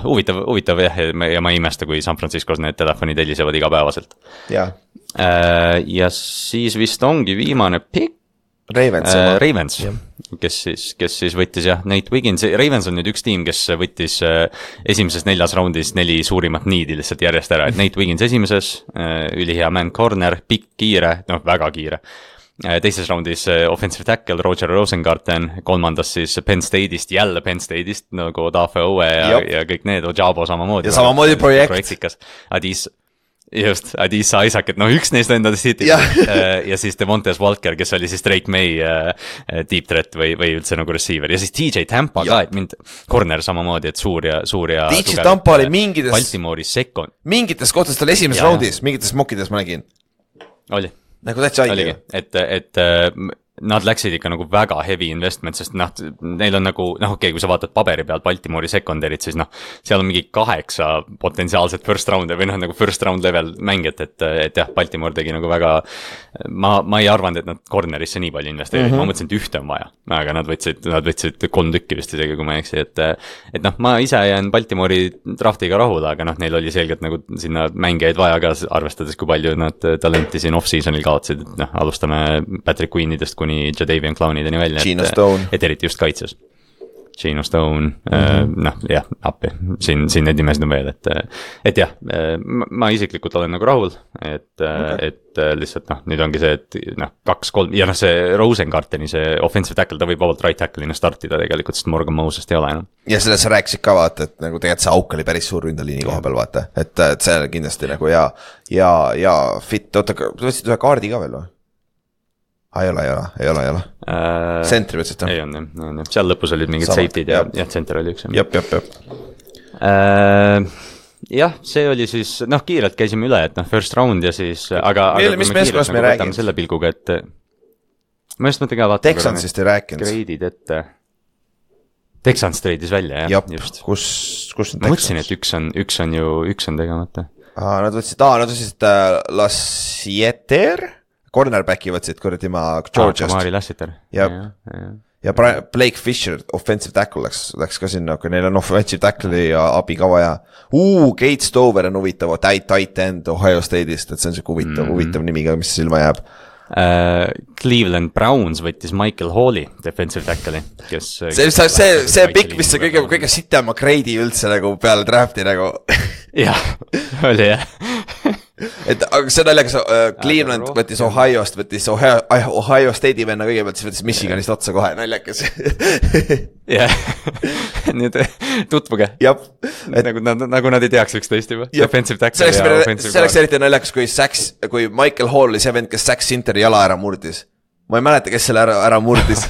[SPEAKER 2] huvitav jah, ja ma ei imesta, kui San Franciscos need telefonid helisevad igapäevaselt. Ja siis vist ongi viimane pick. Ravens, kes siis võttis Nate Wiggins, Ravens on nüüd üks tiim, kes võttis esimeses 4. raundis 4 suurimat niidi lihtsalt järjest ära, et Nate Wiggins esimeses, ülihea man corner, pikk, kiire, väga kiire. Teises raundis offensive tackle Roger Rosengarten, 3. siis Penn State'ist, jälle Penn State'ist nagu Dafe Owe ja kõik need, Ojabo samamoodi.
[SPEAKER 3] Ja samamoodi projektikas.
[SPEAKER 2] Just, Adisa Isaac, et üks neist endadest siit ja siis Devontae Walker, kes oli siis Drake May deep threat või üldse receiver ja siis TJ Tampa ka, et mind corner samamoodi, et suur ja
[SPEAKER 3] TJ Tampa oli
[SPEAKER 2] Baltimore'is second.
[SPEAKER 3] Mingites kohtades tal esimeses raundis, mingites mokkides ma nägin.
[SPEAKER 2] Oli.
[SPEAKER 3] Täitsa aigi.
[SPEAKER 2] Et nad läksid ikka väga heavy investment, sest neil on kui sa vaatad paberi pealt Baltimore'i secondary't, siis seal on mingi 8 potentsiaalset first round või first round level mängijat, et jah, Baltimore tegi väga, ma ei arvanud, et nad cornerisse nii palju investeerid, ma mõtlesin, et ühte on vaja, aga nad võtsid 3 tükki vist isegi, kui ma ei eksi, et ma ise jään Baltimore'i draftiga rahule, aga neil oli selgelt sinna mängijaid vaja ka, arvestades, kui palju nad talenti siin off-seasonil kaotsid, et alustame Patrick Queenidest kuni Jadavion Clownideni välja, et eriti just kaitses. Geno Stone, appi, siin need nimesid on veel, et jah, ma isiklikult olen rahul, et lihtsalt nüüd ongi see, et 2-3 ja see Rosengarteni, see offensive tackle, ta võib vabalt right tackle'ina startida tegelikult, sest Morgan Mosest ei ole enam. Ja
[SPEAKER 3] sellest sa rääkisid ka vaata, et tegelikult see auk oli päris suur ründeliini koha peal vaata, et see on kindlasti ja fit, oota, võtsid ühe kaardi ka veel või? Ei ole. Sentri võtsid ta?
[SPEAKER 2] Ei on, seal lõpus olid mingid safety'd ja tsenter oli üks.
[SPEAKER 3] Jep.
[SPEAKER 2] Jah, see oli siis, kiirelt käisime üle, et first round ja siis, aga
[SPEAKER 3] mis meeskonnast me räägime?
[SPEAKER 2] Selle pilguga, et ma just mõtlen ka vaatama.
[SPEAKER 3] Texansist ei rääkinud.
[SPEAKER 2] Grade'id ette. Texans treidis välja, jah.
[SPEAKER 3] Just. Kus on Texans?
[SPEAKER 2] Ma mõtlesin, et üks on tegemata.
[SPEAKER 3] Nad võtsid Lassieter? Cornerbacki võtsid kuradi ma Georgiast.
[SPEAKER 2] Kamari Lassiter.
[SPEAKER 3] Ja Blake Fisher, offensive tackle läks ka sinna, kui neil on offensive tackle'i ja abi ka vaja. Kate Stover on huvitav, tight end Ohio State'ist, et see on see huvitav nimi ka, mis silma jääb.
[SPEAKER 2] Cleveland Browns võttis Michael Halli, defensive tackle'i, kes
[SPEAKER 3] see pikk, mis see kõige sitema grade'i üldse peale drafti
[SPEAKER 2] jah, oli jah
[SPEAKER 3] et aga see naljakas Cleveland võttis Ohio'st, võttis Ohio State'i venna kõigepealt, siis võttis Michiganist otsa kohe, naljakas.
[SPEAKER 2] Jah, nüüd tutvuge. Nagu nad ei teaks üksteist juba. Defensive tackle ja offensive
[SPEAKER 3] guard. See oleks eriti naljakas, kui Michael Hall oli see vend, kes Zach Sinteri jala ära murdis. Ma ei mäleta, kes selle ära murdis.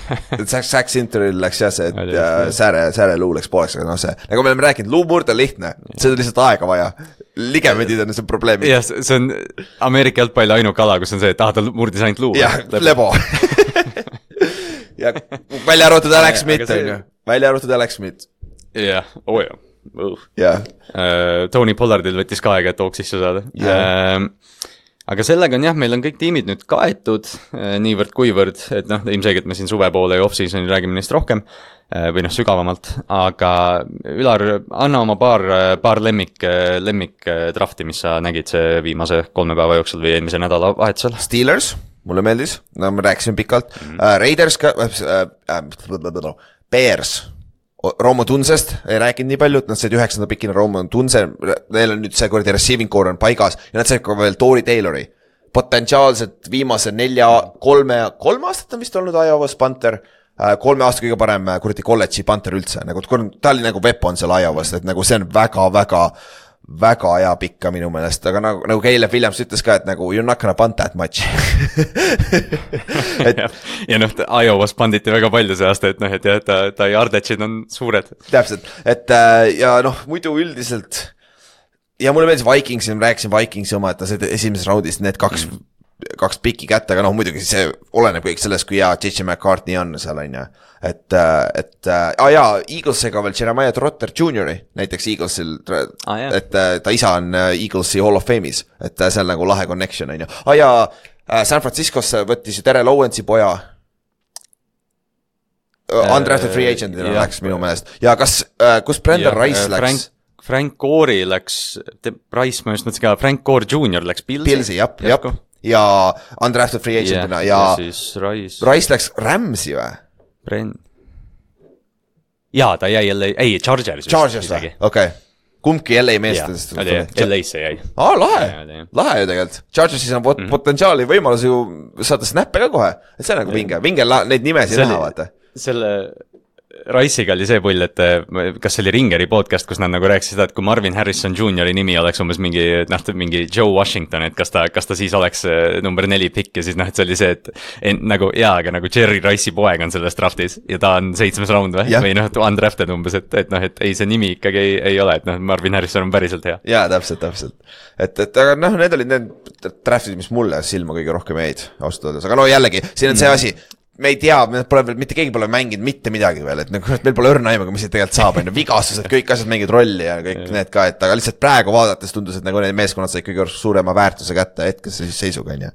[SPEAKER 3] Zach Sinteril läks jah see, et sääre luu läks pooleks, aga see, nagu me oleme rääkinud, luu murda lihtne, see on lihtsalt aega vaja. Ligemedid on see probleemi.
[SPEAKER 2] Jah, see on Ameerika jalgpalli ainuke ala, kus on see, et ta murdis ainult luu.
[SPEAKER 3] Jah, lebo. Ja välja arvatud Alex Smith, on ju. Välja arvatud Alex Smith.
[SPEAKER 2] Jah, Tony Pollardil võttis ka aega, et hoog sisse saada. Aga sellega on meil on kõik tiimid nüüd kaetud niivõrd kuivõrd, et ilmselgelt me siin suve poole ja off-seasoni räägime neist rohkem või sügavamalt, aga Ülar, anna oma paar lemmik drafti, mis sa nägid see viimase 3 päeva jooksul või eelmise nädala vahetusel.
[SPEAKER 3] Steelers, mulle meeldis, no me rääkisime pikalt, Raiders ka, Bears, Romo Tunsest ei rääkinud nii palju, et nad said 9. pikina Romo Tunse, neil on nüüd see kordi receiving core on paigas ja nad said ka veel Tory Taylori. Potentsiaalselt viimase 3 aastat on vist olnud Iowa's Panther, 3 aasta kõige parem kuradi kolledži Panther üldse, nagu ta oli nagu weapon seal Iowa's, et nagu see on väga hea pikka minu meelest, aga nagu Caleb Williams ütles ka, et nagu you're not gonna punt that much.
[SPEAKER 2] ja Iowa's panditi väga palju see aasta, et ta yardage on suured.
[SPEAKER 3] Täpselt, et ja muidu üldiselt ja mulle meeldis Vikingsi, ma rääkisin Vikingsi oma, et ta said esimeses raundis need kaks piki kätte, aga muidugi see oleneb kõik sellest, kui hea J.J. McCartney on seal, on ju. Et Eaglesiga veel Jeremiah Trotter Jr. näiteks Eaglesil, et ta isa on Eaglesi Hall of Fame'is, et see on nagu lahe connection, on ju. San Franciscosse võttis ju Terrell Owensi poja. Undrafted free agentina läks minu meelest. Ja kus Brandon Rice läks?
[SPEAKER 2] Frank Gore'i läks, Rice ma just mõtlesin ka, Frank Gore Jr. läks
[SPEAKER 3] Pilsi, jah. Ja undrafted free agentina ja
[SPEAKER 2] siis
[SPEAKER 3] Rice läks Ramsi või?
[SPEAKER 2] Jaa, ta jäi Chargers
[SPEAKER 3] või? Okei. Kumbki LA meestest.
[SPEAKER 2] LA-sse jäi.
[SPEAKER 3] Lahe ju tegelikult. Chargersis on potentsiaali võimalus ju saada snappe ka kohe. Et see on nagu vinge neid nimesi näha, vaata.
[SPEAKER 2] Selle Rice'iga oli see pull, et kas see oli Ringeri podcast, kus nad nagu rääkisid seda, et kui Marvin Harrison Jr. nimi oleks umbes mingi Joe Washington, et kas ta siis oleks number 4 pikk ja siis et see oli see, et nagu aga nagu Jerry Rice'i poeg on selles draftis ja ta on 7. round või undrafted umbes, et ei see nimi ikkagi ei ole, et Marvin Harrison on päriselt hea.
[SPEAKER 3] Jaa, täpselt. Et aga need olid need draftid, mis mulle silma kõige rohkem jäid ausalt öeldes, aga jällegi, siin on see asi, me ei tea, mitte keegi pole mänginud mitte midagi veel, et meil pole õrna aimaga, mis see tegelikult saab, vigastused, kõik asjad mängid rolli ja kõik need ka, et aga lihtsalt praegu vaadates tundus, et nagu need meeskonnad said kõige suurema väärtuse kätte hetkesse siis seisuga, on ju.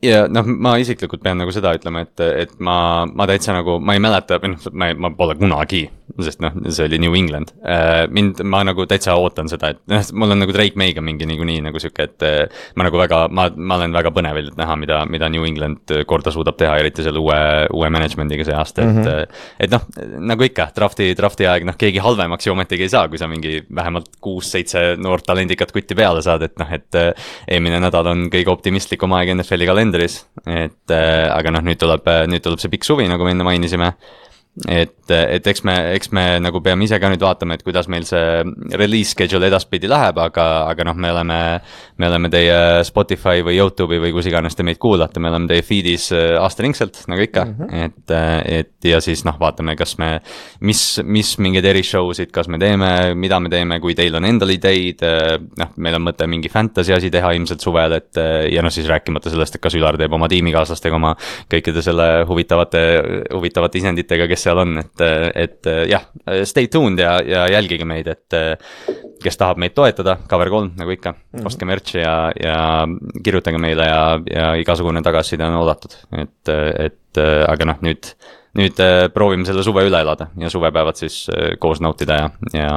[SPEAKER 2] Ja ma isiklikult pean nagu seda ütlema, et ma täitsa nagu, ma ei mäleta, ma pole kunagi, sest see oli New England. Ma nagu täitsa ootan seda, et mul on nagu Drake May'ga mingi nii nagu süke, et ma nagu ma olen väga põnevil, et näha, mida New England korda suudab teha, eriti selle uue managemendiga see aasta, et nagu ikka, drafti aeg, keegi halvemaks ju ometigi ei saa, kui sa mingi vähemalt 6-7 noort talendikat kutti peale saad, et eelmine nädal on kõige optimistlikum aeg NFL-i kalendris, aga nüüd tuleb see pikk suvi, nagu me enne mainisime, et eks me nagu peame ise ka nüüd vaatama, et kuidas meil see release schedule edaspidi läheb, aga me oleme teie Spotify või YouTube'i või kus iganes te meid kuulate, me oleme teie feed'is aastaringselt, nagu ikka, et ja siis vaatame, kas mis mingeid erishowsid, kas me teeme, mida me teeme, kui teil on endal ideid, meil on mõte mingi fantasy asi teha ilmselt suvel, et ja siis rääkimata sellest, et kas Ülar teeb oma tiimikaaslastega oma kõikide selle huvitavate isenditega, kes seal on, et jah, stay tuned ja jälgige meid, et kes tahab meid toetada, Cover 3 nagu ikka, ostke merch'i ja kirjutage meile ja igasugune tagasiside on oodatud, et aga nüüd proovime selle suve üle elada ja suvepäevad siis koos nautida ja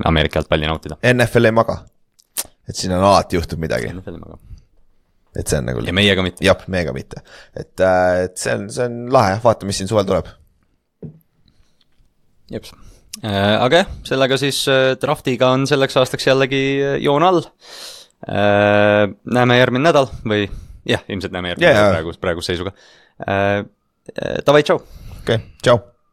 [SPEAKER 2] Ameerika jalgpalli nautida.
[SPEAKER 3] NFL ei maga, et siin on alati juhtub midagi. NFL ei maga. Et see on nagu...
[SPEAKER 2] Ja meiega mitte.
[SPEAKER 3] Jah, meiega mitte. Et see on lahe, vaata, mis siin suvel tuleb.
[SPEAKER 2] Jeps. Aga sellega siis draftiga on selleks aastaks jällegi joon all. Näeme järgmine nädal või jah, ilmselt näeme järgmine nädal praeguse seisuga. Davai, tšau!
[SPEAKER 3] Okei, tšau!